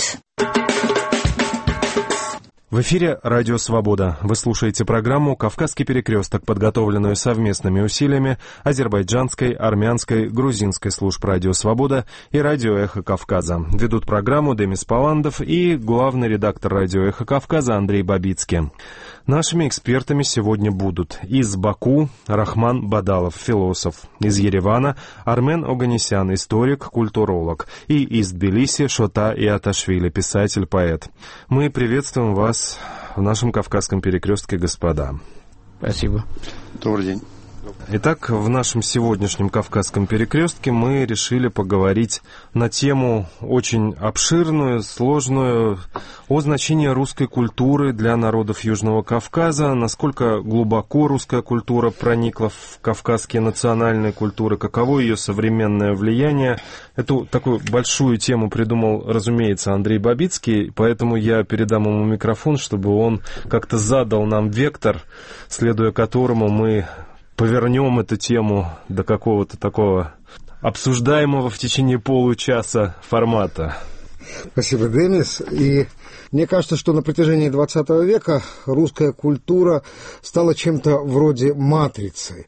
В эфире «Радио Свобода». Вы слушаете программу «Кавказский перекресток», подготовленную совместными усилиями азербайджанской, армянской, грузинской служб «Радио Свобода» и «Радио Эхо Кавказа». Ведут программу Демис Поландов и главный редактор «Радио Эхо Кавказа» Андрей Бабицкий. Нашими экспертами сегодня будут из Баку Рахман Бадалов, философ, из Еревана Армен Оганесян, историк, культуролог, и из Тбилиси Шота Иаташвили, писатель-поэт. Мы приветствуем вас в нашем Кавказском перекрестке, господа. Спасибо. Добрый день. Итак, в нашем сегодняшнем Кавказском перекрестке мы решили поговорить на тему очень обширную, сложную, о значении русской культуры для народов Южного Кавказа, насколько глубоко русская культура проникла в кавказские национальные культуры, каково ее современное влияние. Эту такую большую тему придумал, разумеется, Андрей Бабицкий, поэтому я передам ему микрофон, чтобы он как-то задал нам вектор, следуя которому мы повернем эту тему до какого-то такого обсуждаемого в течение получаса формата. Спасибо, Денис. И мне кажется, что на протяжении 20 века русская культура стала чем-то вроде матрицы.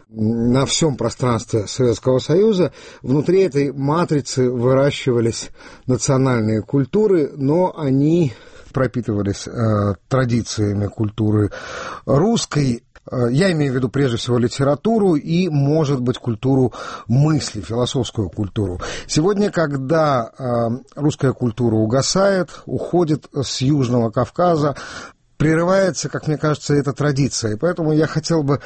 На всем пространстве Советского Союза внутри этой матрицы выращивались национальные культуры, но они пропитывались традициями культуры русской. Я имею в виду прежде всего литературу и, может быть, культуру мысли, философскую культуру. Сегодня, когда русская культура угасает, уходит с Южного Кавказа, прерывается, как мне кажется, эта традиция. И поэтому я хотел бы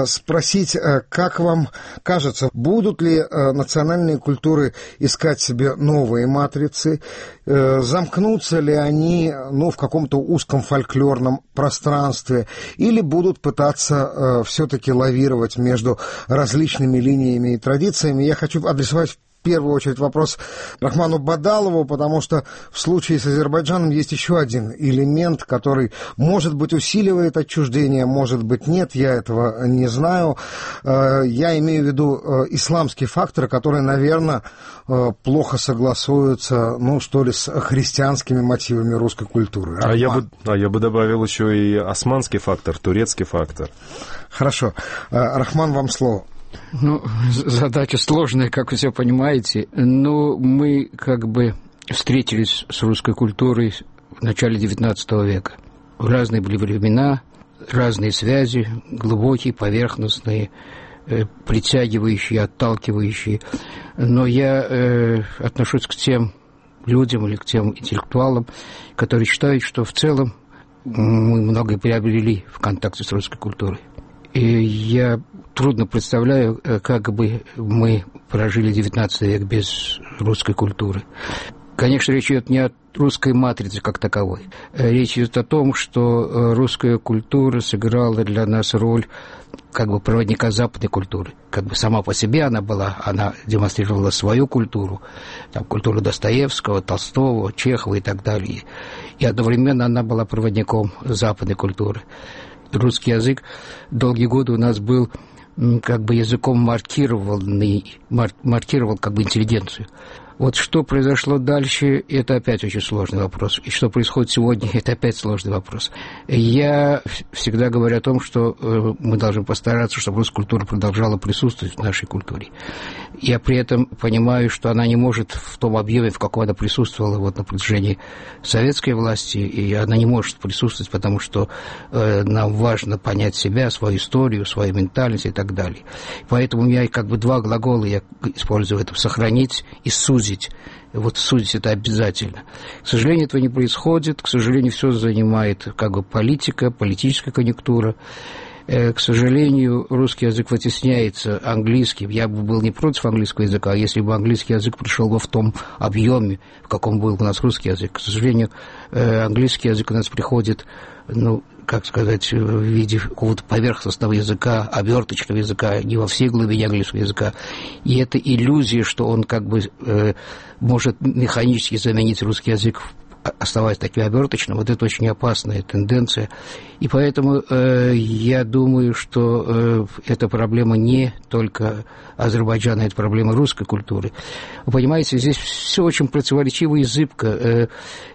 спросить, как вам кажется, будут ли национальные культуры искать себе новые матрицы, замкнутся ли они в каком-то узком фольклорном пространстве, или будут пытаться все-таки лавировать между различными линиями и традициями. Я хочу адресовать в первую очередь вопрос Рахману Бадалову, потому что в случае с Азербайджаном есть еще один элемент, который, может быть, усиливает отчуждение, может быть, нет, я этого не знаю. Я имею в виду исламский фактор, который, наверное, плохо согласуется, что ли, с христианскими мотивами русской культуры. А я бы добавил еще и османский фактор, турецкий фактор. Хорошо. Рахман, вам слово. Задача сложная, как вы все понимаете, но мы встретились с русской культурой в начале XIX века. Разные были времена, разные связи, глубокие, поверхностные, притягивающие, отталкивающие. Но я отношусь к тем людям или к тем интеллектуалам, которые считают, что в целом мы многое приобрели в контакте с русской культурой. И я трудно представляю, как бы мы прожили XIX век без русской культуры. Конечно, речь идет не о русской матрице как таковой. Речь идет о том, что русская культура сыграла для нас роль проводника западной культуры. Сама по себе она демонстрировала свою культуру, культуру Достоевского, Толстого, Чехова и так далее. И одновременно она была проводником западной культуры. Русский язык долгие годы у нас был языком маркировал интеллигенцию. Вот что произошло дальше, это опять очень сложный вопрос. И что происходит сегодня, это опять сложный вопрос. Я всегда говорю о том, что мы должны постараться, чтобы русская культура продолжала присутствовать в нашей культуре. Я при этом понимаю, что она не может в том объеме, в каком она присутствовала на протяжении советской власти, и она не может присутствовать, потому что нам важно понять себя, свою историю, свою ментальность и так далее. Поэтому у меня два глагола я использую в этом: сохранить и сузить. Судить это обязательно. К сожалению, этого не происходит. К сожалению, все занимает политика, политическая конъюнктура. К сожалению, русский язык вытесняется английским. Я бы был не против английского языка, если бы английский язык пришел бы в том объеме, в каком был у нас русский язык. К сожалению, английский язык у нас приходит, как сказать, в виде какого-то поверхностного языка, оберточного языка, не во всей глубине английского языка. И это иллюзия, что он как бы может механически заменить русский язык, оставаясь таким оберточным, вот это очень опасная тенденция. И поэтому я думаю, что эта проблема не только Азербайджана, это проблема русской культуры. Вы понимаете, здесь все очень противоречиво и зыбко.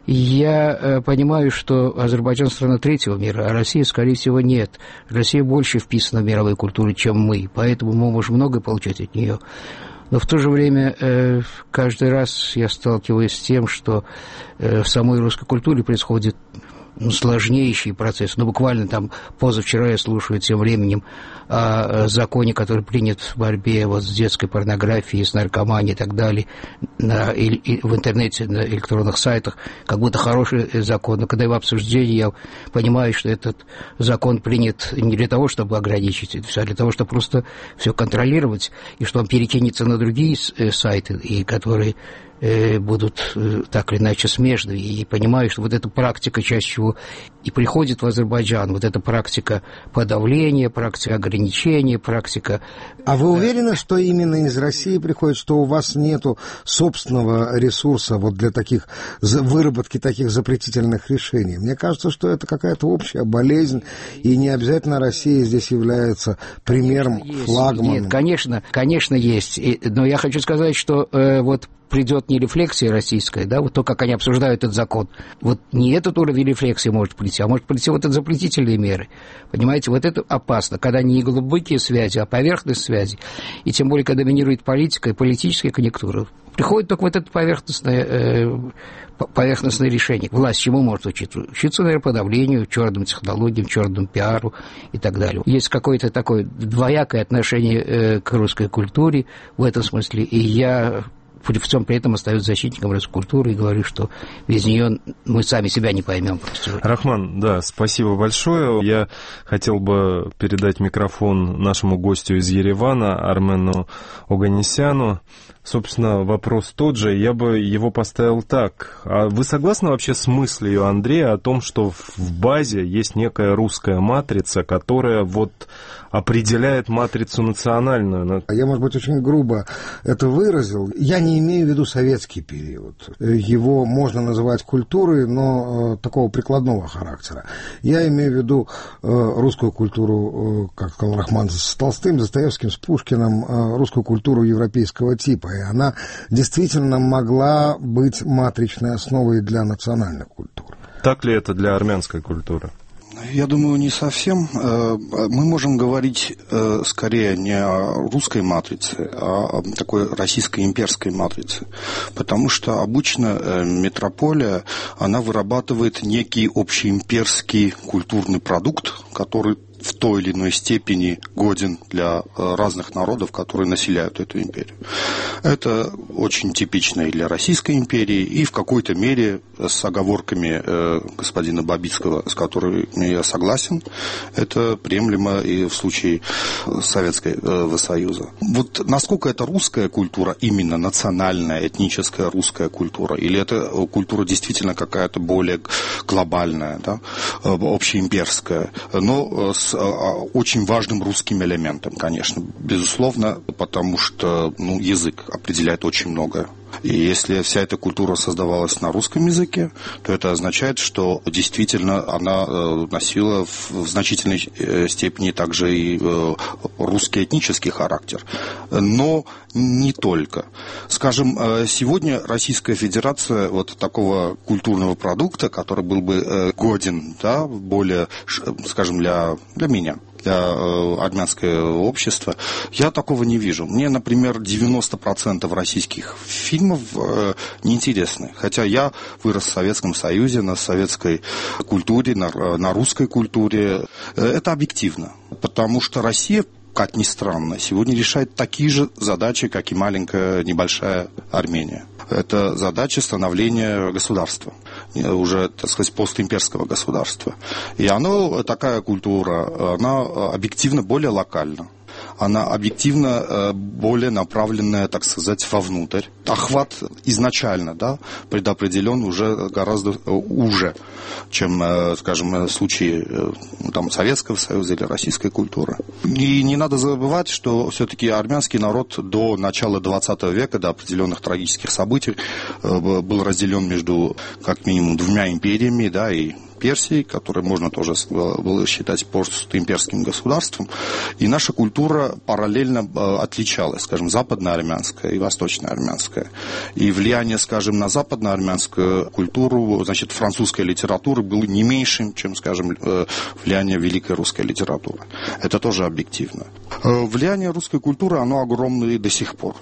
Я понимаю, что Азербайджан страна третьего мира, а Россия, скорее всего, нет. Россия больше вписана в мировую культуру, чем мы, поэтому мы можем многое получать от нее. Но в то же время каждый раз я сталкиваюсь с тем, что в самой русской культуре происходит сложнейший процесс. Буквально там позавчера я слушаю тем временем о законе, который принят в борьбе с детской порнографией, с наркоманией и так далее в интернете, на электронных сайтах, как будто хороший закон. Но когда его обсуждение, я понимаю, что этот закон принят не для того, чтобы ограничить это все, а для того, чтобы просто все контролировать, и что он перекинется на другие сайты, и которые будут так или иначе смежны. И понимаю, что вот эта практика чаще всего и приходит в Азербайджан, вот эта практика подавления, практика ограничения, практика... А вы уверены, что именно из России приходит, что у вас нету собственного ресурса вот для таких выработки таких запретительных решений? Мне кажется, что это какая-то общая болезнь, и не обязательно Россия здесь является примером, флагманом. Нет, конечно, есть. Но я хочу сказать, что вот придет не рефлексия российская, да, вот то, как они обсуждают этот закон. Вот не этот уровень рефлексии может прийти, а может прийти вот эти запретительные меры. Понимаете, вот это опасно, когда не глубокие связи, а поверхностные связи. И тем более, когда доминирует политика и политическая конъюнктура. Приходит только вот это поверхностное решение. Власть чему может учиться? Учиться, наверное, подавлению, черным технологиям, черному пиару и так далее. Есть какое-то такое двоякое отношение к русской культуре в этом смысле, и я... при этом остаюсь защитником русской культуры и говорю, что без нее мы сами себя не поймем. Рахман, да, спасибо большое. Я хотел бы передать микрофон нашему гостю из Еревана, Армену Оганесяну. Собственно, вопрос тот же, я бы его поставил так. А вы согласны вообще с мыслью Андрея о том, что в базе есть некая русская матрица, которая вот определяет матрицу национальную? Я, может быть, очень грубо это выразил. Я не имею в виду советский период. Его можно называть культурой, но такого прикладного характера. Я имею в виду русскую культуру, как сказал Рахман, с Толстым, Достоевским, с Пушкиным, русскую культуру европейского типа. И она действительно могла быть матричной основой для национальной культуры. Так ли это для армянской культуры? Я думаю, не совсем. Мы можем говорить скорее не о русской матрице, а о такой российской имперской матрице. Потому что обычно метрополия, она вырабатывает некий общеимперский культурный продукт, который в той или иной степени годен для разных народов, которые населяют эту империю. Это очень типично и для Российской империи, и в какой-то мере с оговорками господина Бабицкого, с которыми я согласен, это приемлемо и в случае Советского Союза. Вот насколько это русская культура, именно национальная, этническая русская культура, или это культура действительно какая-то более глобальная, да, общеимперская, но с очень важным русским элементом, конечно, безусловно, потому что язык определяет очень многое. И если вся эта культура создавалась на русском языке, то это означает, что действительно она носила в значительной степени также и русский этнический характер. Но не только. Скажем, сегодня Российская Федерация вот такого культурного продукта, который был бы годен, да, более, скажем, для меня, для армянского общества, я такого не вижу. Мне, например, 90% российских фильмов неинтересны. Хотя я вырос в Советском Союзе, на советской культуре, на русской культуре. Это объективно. Потому что Россия, как ни странно, сегодня решает такие же задачи, как и маленькая, небольшая Армения. Это задача становления государства. уже, так сказать, постимперского государства. И такая культура, она объективно более локальна. Она объективно более направленная, так сказать, вовнутрь. Охват изначально, да, предопределен уже гораздо уже, чем, скажем, в случае там, Советского Союза или российской культуры. И не надо забывать, что все-таки армянский народ до начала 20 века, до определенных трагических событий, был разделен между, как минимум, двумя империями, да, и Персии, которое можно тоже было считать постимперским государством. И наша культура параллельно отличалась, скажем, западноармянская и восточноармянская. И влияние, скажем, на западноармянскую культуру, значит, французской литературы было не меньшим, чем, скажем, влияние великой русской литературы. Это тоже объективно. Влияние русской культуры, оно огромное и до сих пор.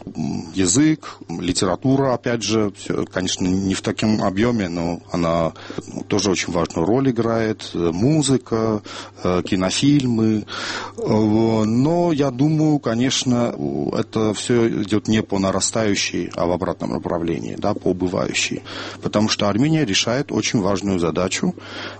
Язык, литература, опять же, конечно, не в таком объеме, но она тоже очень важную роль играет, музыка, кинофильмы. Но я думаю, конечно, это все идет не по нарастающей, а в обратном направлении, да, по убывающей. Потому что Армения решает очень важную задачу.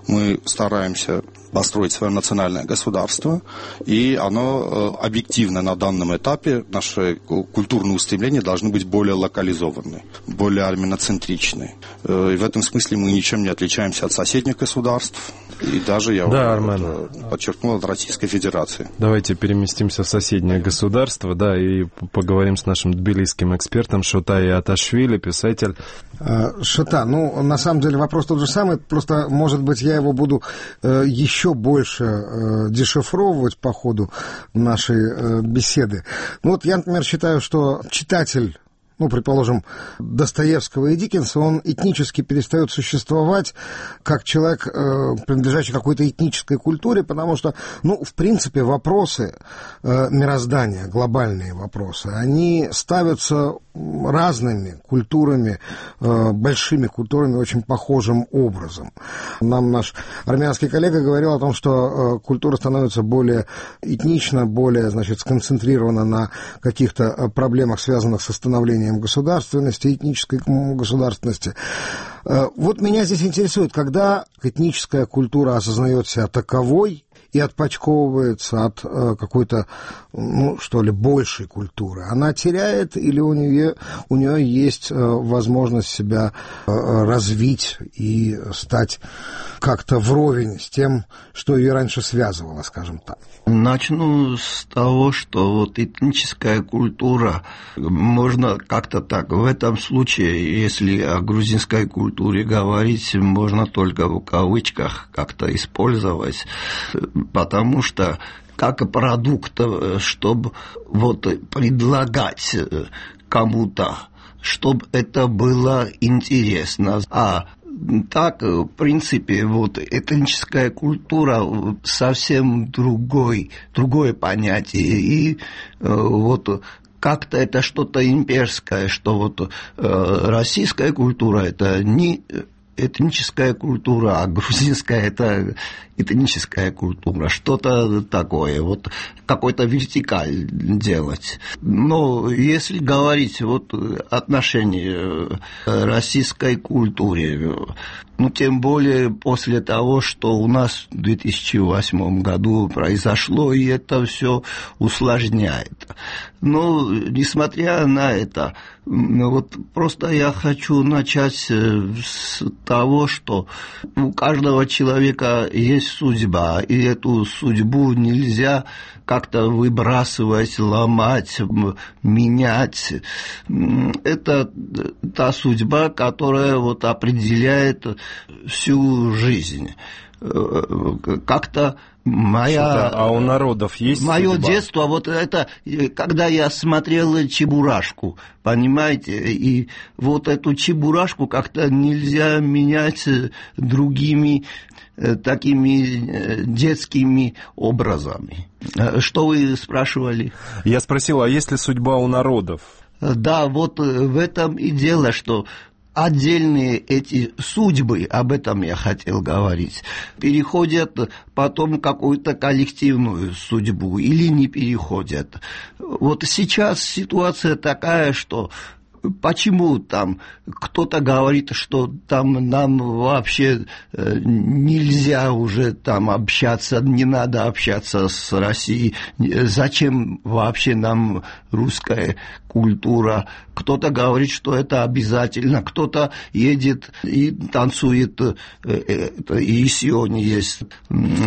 Мы стараемся построить свое национальное государство, и оно объективно на данном этапе, наши культурные устремления должны быть более локализованы, более армяноцентричны. И в этом смысле мы ничем не отличаемся от соседних государств, и даже, я подчеркнул, от Российской Федерации. Давайте переместимся в соседнее государство, да, и поговорим с нашим тбилисским экспертом Шота Иаташвили, писатель. Шота, на самом деле вопрос тот же самый, просто, может быть, я его буду еще больше дешифровывать по ходу нашей беседы. Я, например, считаю, что читатель, предположим, Достоевского и Диккенса, он этнически перестает существовать как человек, принадлежащий какой-то этнической культуре, потому что, в принципе, вопросы мироздания, глобальные вопросы, они ставятся разными культурами, большими культурами, очень похожим образом. Нам наш армянский коллега говорил о том, что культура становится более этнична, более, сконцентрирована на каких-то проблемах, связанных со становлением государственности, этнической государственности. Меня здесь интересует, когда этническая культура осознает себя таковой и отпочковывается от какой-то, большей культуры. Она теряет или у нее есть возможность себя развить и стать как-то вровень с тем, что ее раньше связывало, скажем так? Начну с того, что этническая культура, можно как-то так, в этом случае, если о грузинской культуре говорить, можно только в кавычках как-то использовать, потому что как продукт, чтобы предлагать кому-то, чтобы это было интересно. А так, в принципе, этническая культура совсем другое понятие. И как-то это что-то имперское, что российская культура это не этническая культура, а грузинская это этническая культура, что-то такое, какой-то вертикаль делать. Но если говорить отношение российской культуре, тем более после того, что у нас в 2008 году произошло, и это все усложняет. Но, несмотря на это, просто я хочу начать с того, что у каждого человека есть судьба, и эту судьбу нельзя как-то выбрасывать, ломать, менять. Это та судьба, которая определяет всю жизнь. Как-то А у народов есть мое судьба? Детство, это, когда я смотрел Чебурашку, понимаете, и эту Чебурашку как-то нельзя менять другими такими детскими образами. Что вы спрашивали? Я спросил, а есть ли судьба у народов? Да, в этом и дело, что отдельные эти судьбы, об этом я хотел говорить, переходят потом в какую-то коллективную судьбу или не переходят. Сейчас ситуация такая, что почему там кто-то говорит, что там нам вообще нельзя уже там общаться, не надо общаться с Россией, зачем вообще нам русская культура, кто-то говорит, что это обязательно, кто-то едет и танцует, и сегодня есть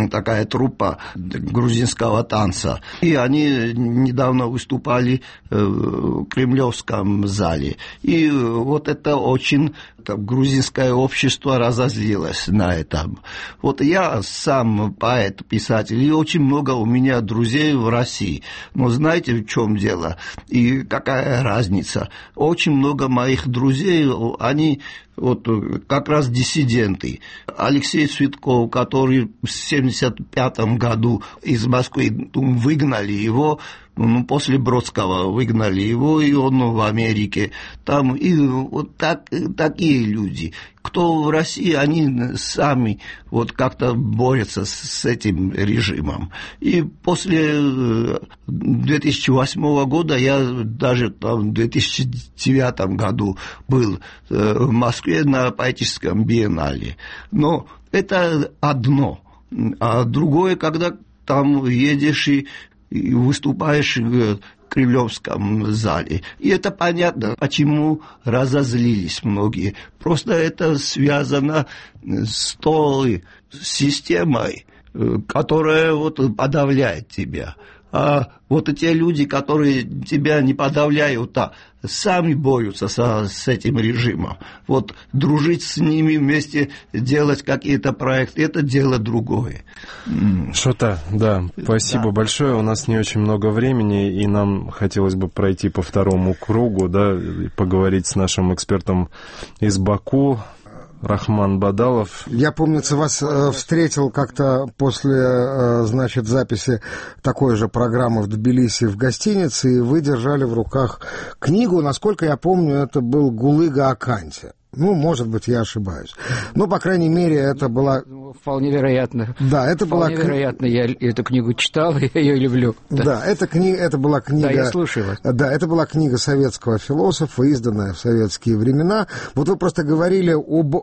такая труппа грузинского танца, и они недавно выступали в Кремлевском зале, и вот это очень грузинское общество разозлилось на этом. Вот я сам поэт, писатель, и очень много у меня друзей в России. Но знаете, в чем дело? И какая разница? Очень много моих друзей, они вот как раз диссиденты. Алексей Цветков, который в 1975 году из Москвы выгнали его, после Бродского выгнали его, и он в Америке. Там и вот такие люди. Кто в России, они сами вот как-то борются с этим режимом. И после 2008 года я даже там в 2009 году был в Москве на поэтическом биеннале. Но это одно. А другое, когда там едешь и выступаешь в Кремлевском зале. И это понятно, почему разозлились многие. Просто это связано с той системой, которая вот подавляет тебя. А вот те люди, которые тебя не подавляют, а сами борются с этим режимом. Вот дружить с ними вместе, делать какие-то проекты, это дело другое. Шота, да, спасибо большое. У нас не очень много времени, и нам хотелось бы пройти по второму кругу, да, и поговорить с нашим экспертом из Баку, Рахман Бадалов. Я, помнится, вас встретил как-то после, значит, записи такой же программы в Тбилиси в гостинице, и вы держали в руках книгу, насколько я помню, это был Гулыга Аканти. Ну, может быть, я ошибаюсь. Но, по крайней мере, это была... Вполне вероятно. Да, это была... Вполне вероятно, я эту книгу читал, и я ее люблю. Да, это была книга... Да, я слушаю вас. Да, это была книга советского философа, изданная в советские времена. Вот вы просто говорили об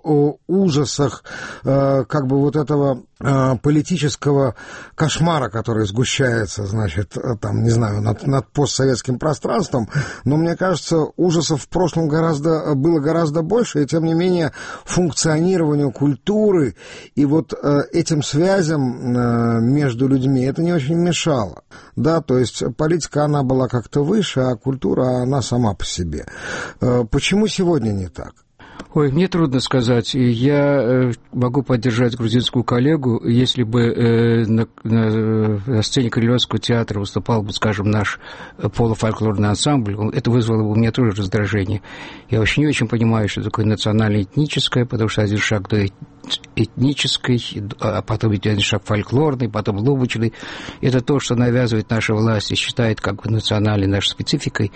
ужасах как бы вот этого политического кошмара, который сгущается, значит, там, не знаю, над постсоветским пространством. Но, мне кажется, ужасов в прошлом было гораздо больше, и, тем не менее, функционированию культуры и вот этим связям между людьми это не очень мешало. Да, то есть политика, она была как-то выше, а культура, она сама по себе. Почему сегодня не так? Ой, мне трудно сказать. Я могу поддержать грузинскую коллегу, если бы на сцене Крылевского театра выступал бы, скажем, наш полуфольклорный ансамбль, это вызвало бы у меня тоже раздражение. Я вообще не очень понимаю, что такое национально-этническое, потому что один шаг до этнической, а потом один шаг фольклорный, потом лубочный. Это то, что навязывает наша власть и считает как бы национальной нашей спецификой.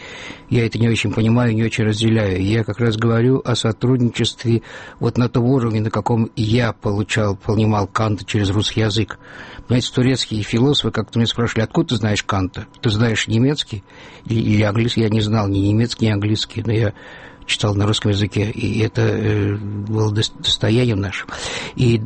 Я это не очень понимаю, не очень разделяю. Я как раз говорю о сотрудничестве вот на том уровне, на каком я понимал Канта через русский язык. Понимаете, турецкие философы как-то меня спрашивали, откуда ты знаешь Канта? Ты знаешь немецкий или английский? Я не знал ни немецкий, ни английский, но я читал на русском языке, и это было достоянием нашим. И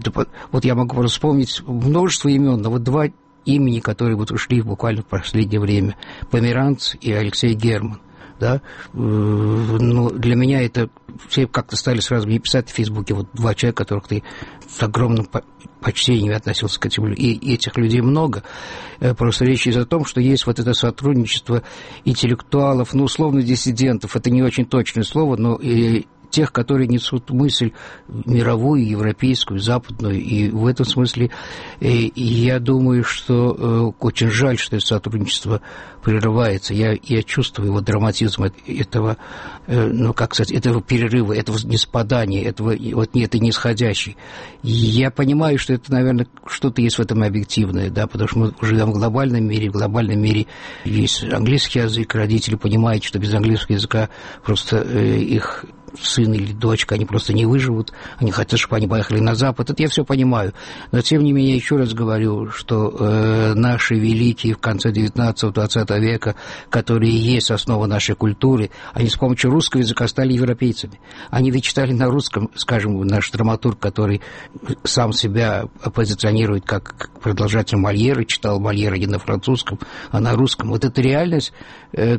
вот я могу вспомнить множество имен, но вот два имени, которые вот ушли буквально в последнее время. Померанц и Алексей Герман. Да? Но для меня это... Все как-то стали сразу мне писать в Фейсбуке, вот два человека, которых ты с огромным почтением относился к этим людям. И этих людей много. Просто речь идет о том, что есть вот это сотрудничество интеллектуалов, ну, условно, диссидентов. Это не очень точное слово, но тех, которые несут мысль мировую, европейскую, западную. И в этом смысле я думаю, что очень жаль, что это сотрудничество прерывается. Я чувствую вот драматизм этого, ну, как сказать, этого перерыва, этого неспадания, этого вот этой нисходящей. Я понимаю, что это, наверное, что-то есть в этом объективное, да, потому что мы живем в глобальном мире есть английский язык, родители понимают, что без английского языка просто их сын или дочка, они просто не выживут, они хотят, чтобы они поехали на Запад, это я все понимаю. Но, тем не менее, еще раз говорю, что наши великие в конце 19-20 века, которые есть основа нашей культуры, они с помощью русского языка стали европейцами. Они ведь читали на русском, скажем, наш драматург, который сам себя позиционирует как продолжатель Мольера, читал Мольера не на французском, а на русском. Вот это реальность,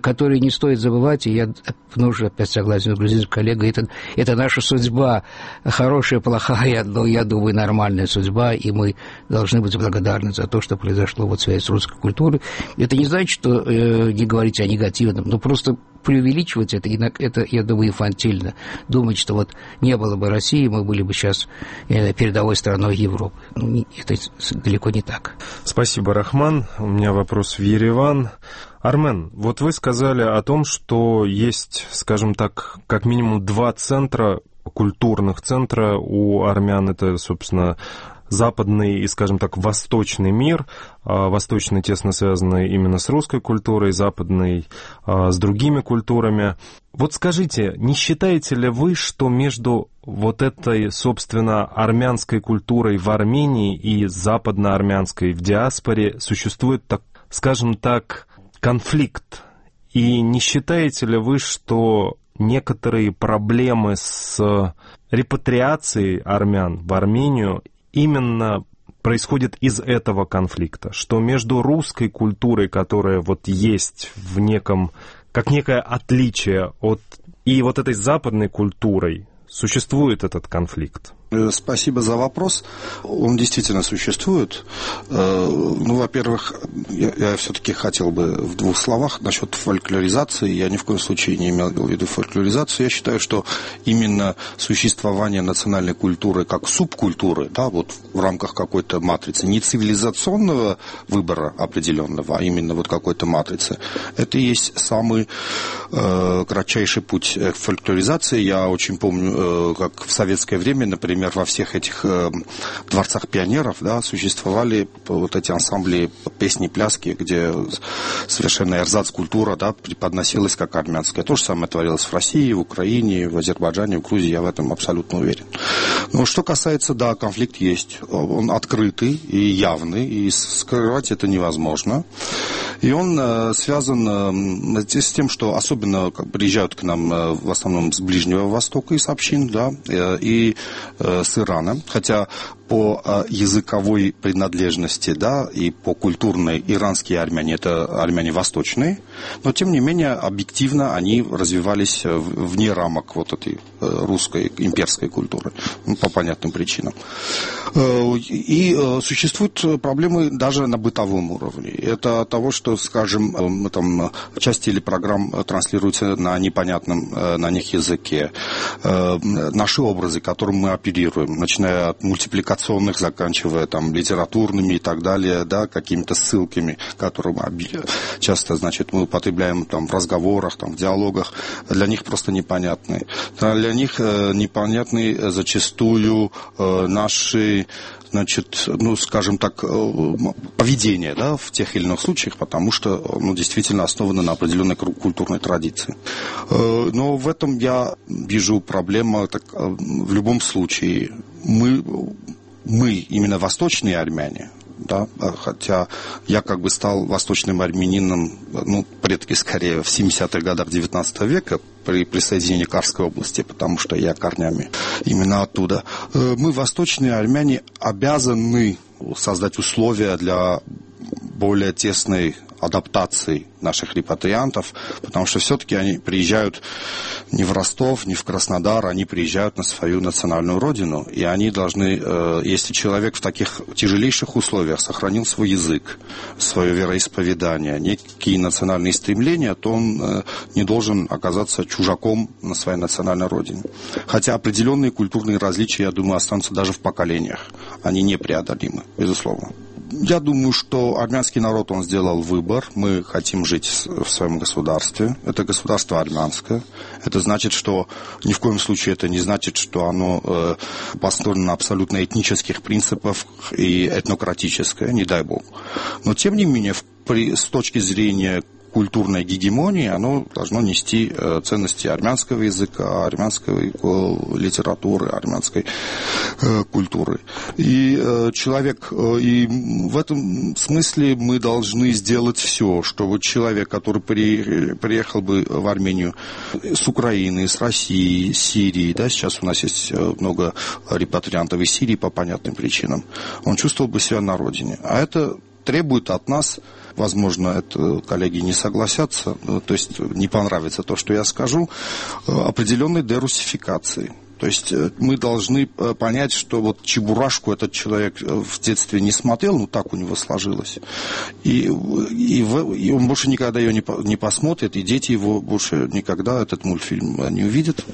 которую не стоит забывать, и я тоже опять согласен с грузинским коллегой, это наша судьба, хорошая, плохая, но я думаю, нормальная судьба, и мы должны быть благодарны за то, что произошло вот в связи с русской культурой. Это не значит, что не говорить о негативном, но просто преувеличивать это, я думаю, инфантильно. Думать, что вот не было бы России, мы были бы сейчас передовой страной Европы. Это далеко не так. Спасибо, Рахман. У меня вопрос в Ереван. Армен, вот вы сказали о том, что есть, скажем так, как минимум 2 центра, культурных центра у армян. Это, собственно, западный и, скажем так, восточный мир. Восточный тесно связанный именно с русской культурой, западный с другими культурами. Вот скажите, не считаете ли вы, что между вот этой, собственно, армянской культурой в Армении и западноармянской в диаспоре существует, так, скажем так, конфликт? И не считаете ли вы, что некоторые проблемы с репатриацией армян в Армению именно происходит из этого конфликта, что между русской культурой, которая вот есть в неком, как некое отличие от, и вот этой западной культурой, существует этот конфликт? Спасибо за вопрос. Он действительно существует. Ну, во-первых, я все-таки хотел бы в 2 словах насчет фольклоризации. Я ни в коем случае не имел в виду фольклоризацию. Я считаю, что именно существование национальной культуры как субкультуры, да, вот в рамках какой-то матрицы, не цивилизационного выбора определенного, а именно вот какой-то матрицы, это и есть самый кратчайший путь к фольклоризации. Я очень помню, как в советское время, например, во всех этих дворцах пионеров, да, существовали вот эти ансамбли песни, пляски, где совершенно эрзац-культура, да, преподносилась как армянская. То же самое творилось в России, в Украине, в Азербайджане, в Грузии, я в этом абсолютно уверен. Но что касается, да, конфликт есть. Он открытый и явный, и скрывать это невозможно. И он связан с тем, что особенно приезжают к нам в основном с Ближнего Востока из общин, да, и с Ирана, хотя по языковой принадлежности, да, и по культурной иранские армяне, это армяне восточные, но тем не менее объективно они развивались вне рамок вот этой русской имперской культуры, ну, по понятным причинам. И существуют проблемы даже на бытовом уровне. Это от того, что, скажем, там часть телепрограмм транслируются на непонятном на них языке. Наши образы, которым мы оперируем, начиная от мультипликационных, заканчивая там литературными и так далее, да, какими-то ссылками, которые часто, значит, мы употребляем там в разговорах, там в диалогах, для них просто непонятны. Для них непонятны зачастую наши, значит, ну, скажем так, поведение, да, в тех или иных случаях, потому что, ну, действительно основано на определенной культурной традиции. Но в этом я вижу проблему, так, в любом случае, мы именно восточные армяне, да, хотя я как бы стал восточным армянином, ну, предки скорее в 70-х годах 19 века при присоединении Карской области, потому что я корнями именно оттуда. Мы, восточные армяне, обязаны создать условия для более тесной адаптации наших репатриантов, потому что все-таки они приезжают не в Ростов, не в Краснодар, они приезжают на свою национальную родину, и они должны, если человек в таких тяжелейших условиях сохранил свой язык, свое вероисповедание, некие национальные стремления, то он не должен оказаться чужаком на своей национальной родине. Хотя определенные культурные различия, я думаю, останутся даже в поколениях. Они непреодолимы, безусловно. Я думаю, что армянский народ, он сделал выбор. Мы хотим жить в своем государстве. Это государство армянское. Это значит, что ни в коем случае это не значит, что оно построено на абсолютно этнических принципах и этнократическое, не дай бог. Но, тем не менее, с точки зрения культурной гегемонии, оно должно нести ценности армянского языка, армянской литературы, армянской культуры. И в этом смысле мы должны сделать все, чтобы человек, который приехал бы в Армению с Украины, с России, с Сирии, да, сейчас у нас есть много репатриантов из Сирии по понятным причинам, он чувствовал бы себя на родине. А это требует от нас, возможно, это коллеги не согласятся, то есть не понравится то, что я скажу, определенной дерусификации. То есть мы должны понять, что вот Чебурашку этот человек в детстве не смотрел, ну так у него сложилось. И он больше никогда ее не посмотрит, и дети его больше никогда этот мультфильм не увидят.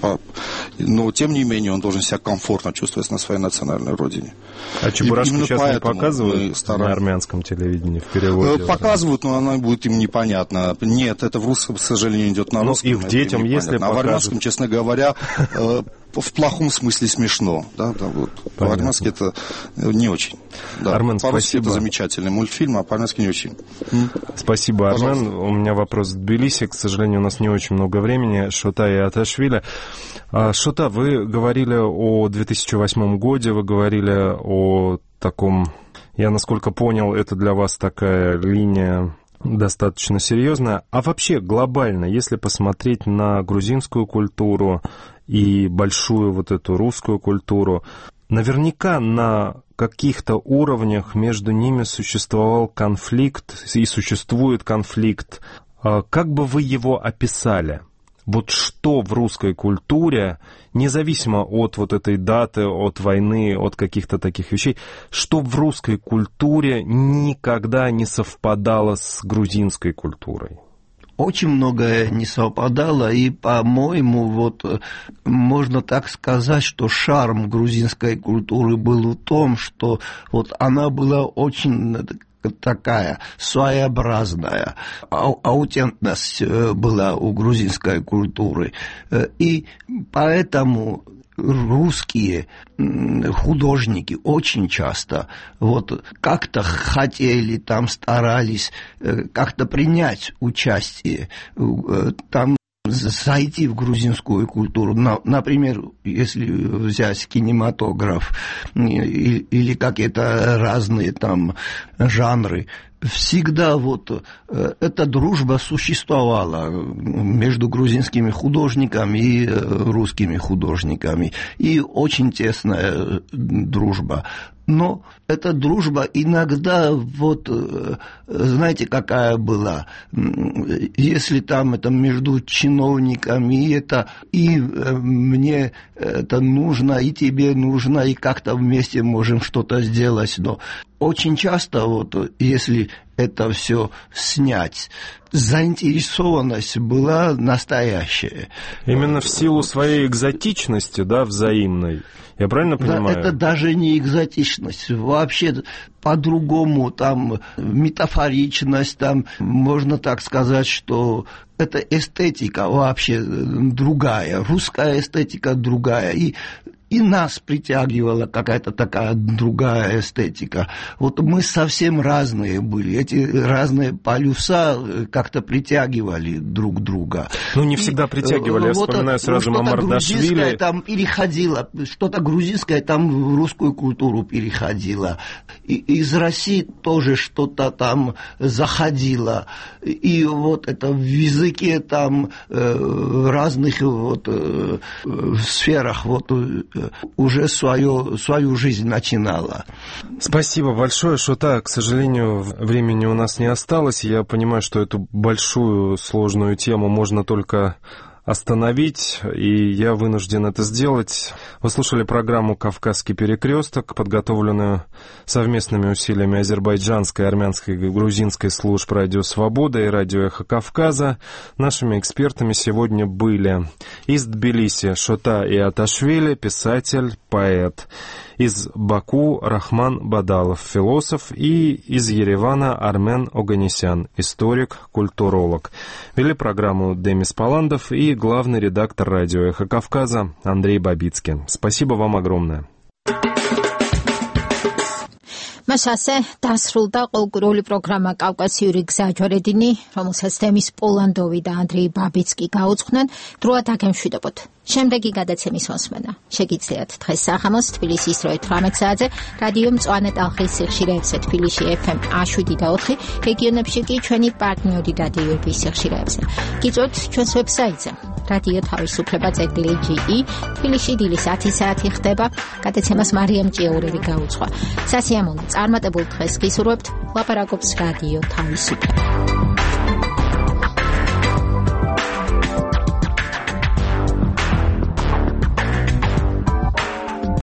Но тем не менее он должен себя комфортно чувствовать на своей национальной родине. А Чебурашку сейчас не показывают на армянском телевидении в переводе? Показывают, но она будет им непонятна. Нет, это в русском, к сожалению, идет на русском. Ну, и детям, если показывают. А в армянском, честно говоря, в плохом смысле смешно. Да, вот. По-армянски это не очень. Да. Армен, по-русски спасибо. Это замечательный мультфильм, а по-армянски не очень. Спасибо, Пожалуйста. Армен. У меня вопрос в Тбилиси. К сожалению, у нас не очень много времени. Шота и Аташвили. Шота, вы говорили о 2008 году, вы говорили о таком... Я, насколько понял, это для вас такая линия достаточно серьезная. А вообще глобально, если посмотреть на грузинскую культуру и большую вот эту русскую культуру, наверняка на каких-то уровнях между ними существовал конфликт и существует конфликт. Как бы вы его описали? Вот что в русской культуре, независимо от вот этой даты, от войны, от каких-то таких вещей, что в русской культуре никогда не совпадало с грузинской культурой? Очень многое не совпадало, и, по-моему, вот можно так сказать, что шарм грузинской культуры был в том, что вот она была очень такая своеобразная, аутентичность была у грузинской культуры, и поэтому русские художники очень часто вот как-то хотели, там старались как-то принять участие, там зайти в грузинскую культуру. Например, если взять кинематограф или какие-то разные там жанры, всегда вот эта дружба существовала между грузинскими художниками и русскими художниками. И очень тесная дружба. Но эта дружба иногда, вот, знаете, какая была? Если там это между чиновниками, это и мне это нужно, и тебе нужно, и как-то вместе можем что-то сделать. Но очень часто, вот, если это все снять, заинтересованность была настоящая. Именно в силу своей экзотичности, да, взаимной. Я правильно понимаю? Да, это даже не экзотичность. Вообще по-другому, там метафоричность, там можно так сказать, что это эстетика вообще другая, русская эстетика другая. И нас притягивала какая-то такая другая эстетика. Вот мы совсем разные были. Эти разные полюса как-то притягивали друг друга. Ну, не всегда притягивали. Я вспоминаю сразу Мамардашвили. Что-то грузинское там переходило, что-то грузинское там в русскую культуру переходило. И из России тоже что-то там заходило. И вот это в языке там в разных вот сферах вот уже свою жизнь начинала. Спасибо большое, Шота. К сожалению, времени у нас не осталось. Я понимаю, что эту большую, сложную тему можно только остановить, и я вынужден это сделать. Вы слушали программу «Кавказский перекресток», подготовленную совместными усилиями азербайджанской, армянской и грузинской служб «Радио Свобода» и «Радио Эхо Кавказа». Нашими экспертами сегодня были из Тбилиси Шота и Аташвили, писатель, поэт. Из Баку Рахман Бадалов, философ, и из Еревана Армен Оганесян, историк, культуролог. Вели программу Демис Паландов и главный редактор радио «Эхо Кавказа» Андрей Бабицкий. Спасибо вам огромное. მას ასე დასრულდა ყოლკურული პროგრამა კავკასიური გზა ჯვარედინი, რომელსაც თემის პოლანდოვი და ანდრეი ბაბიცკი გაუძღვნენ, დროა დაგემშვიდობოთ. შემდეგი გადაცემის მოსმენა შეგიძლიათ დღეს სახამოს თბილისის დროით 18 საათზე რადიო მწვანე ტალღის სიხშირეებზე თბილისში FM 107.4, რეგიონებში კი ჩვენი პარტნიორი რადიოების სიხშირეებზე. გიწვევთ ჩვენს ვებსაიტზე რადიო თავისუფლება.ge, თბილისში დილის 10 საათი ხდება, გადაცემას მარიამ ჭიაურელი გაუძღვა. სასიამოვნო წარმატებულ დღეს გისურვებთ, ლაპარაკობს რადიო თავისუფლება.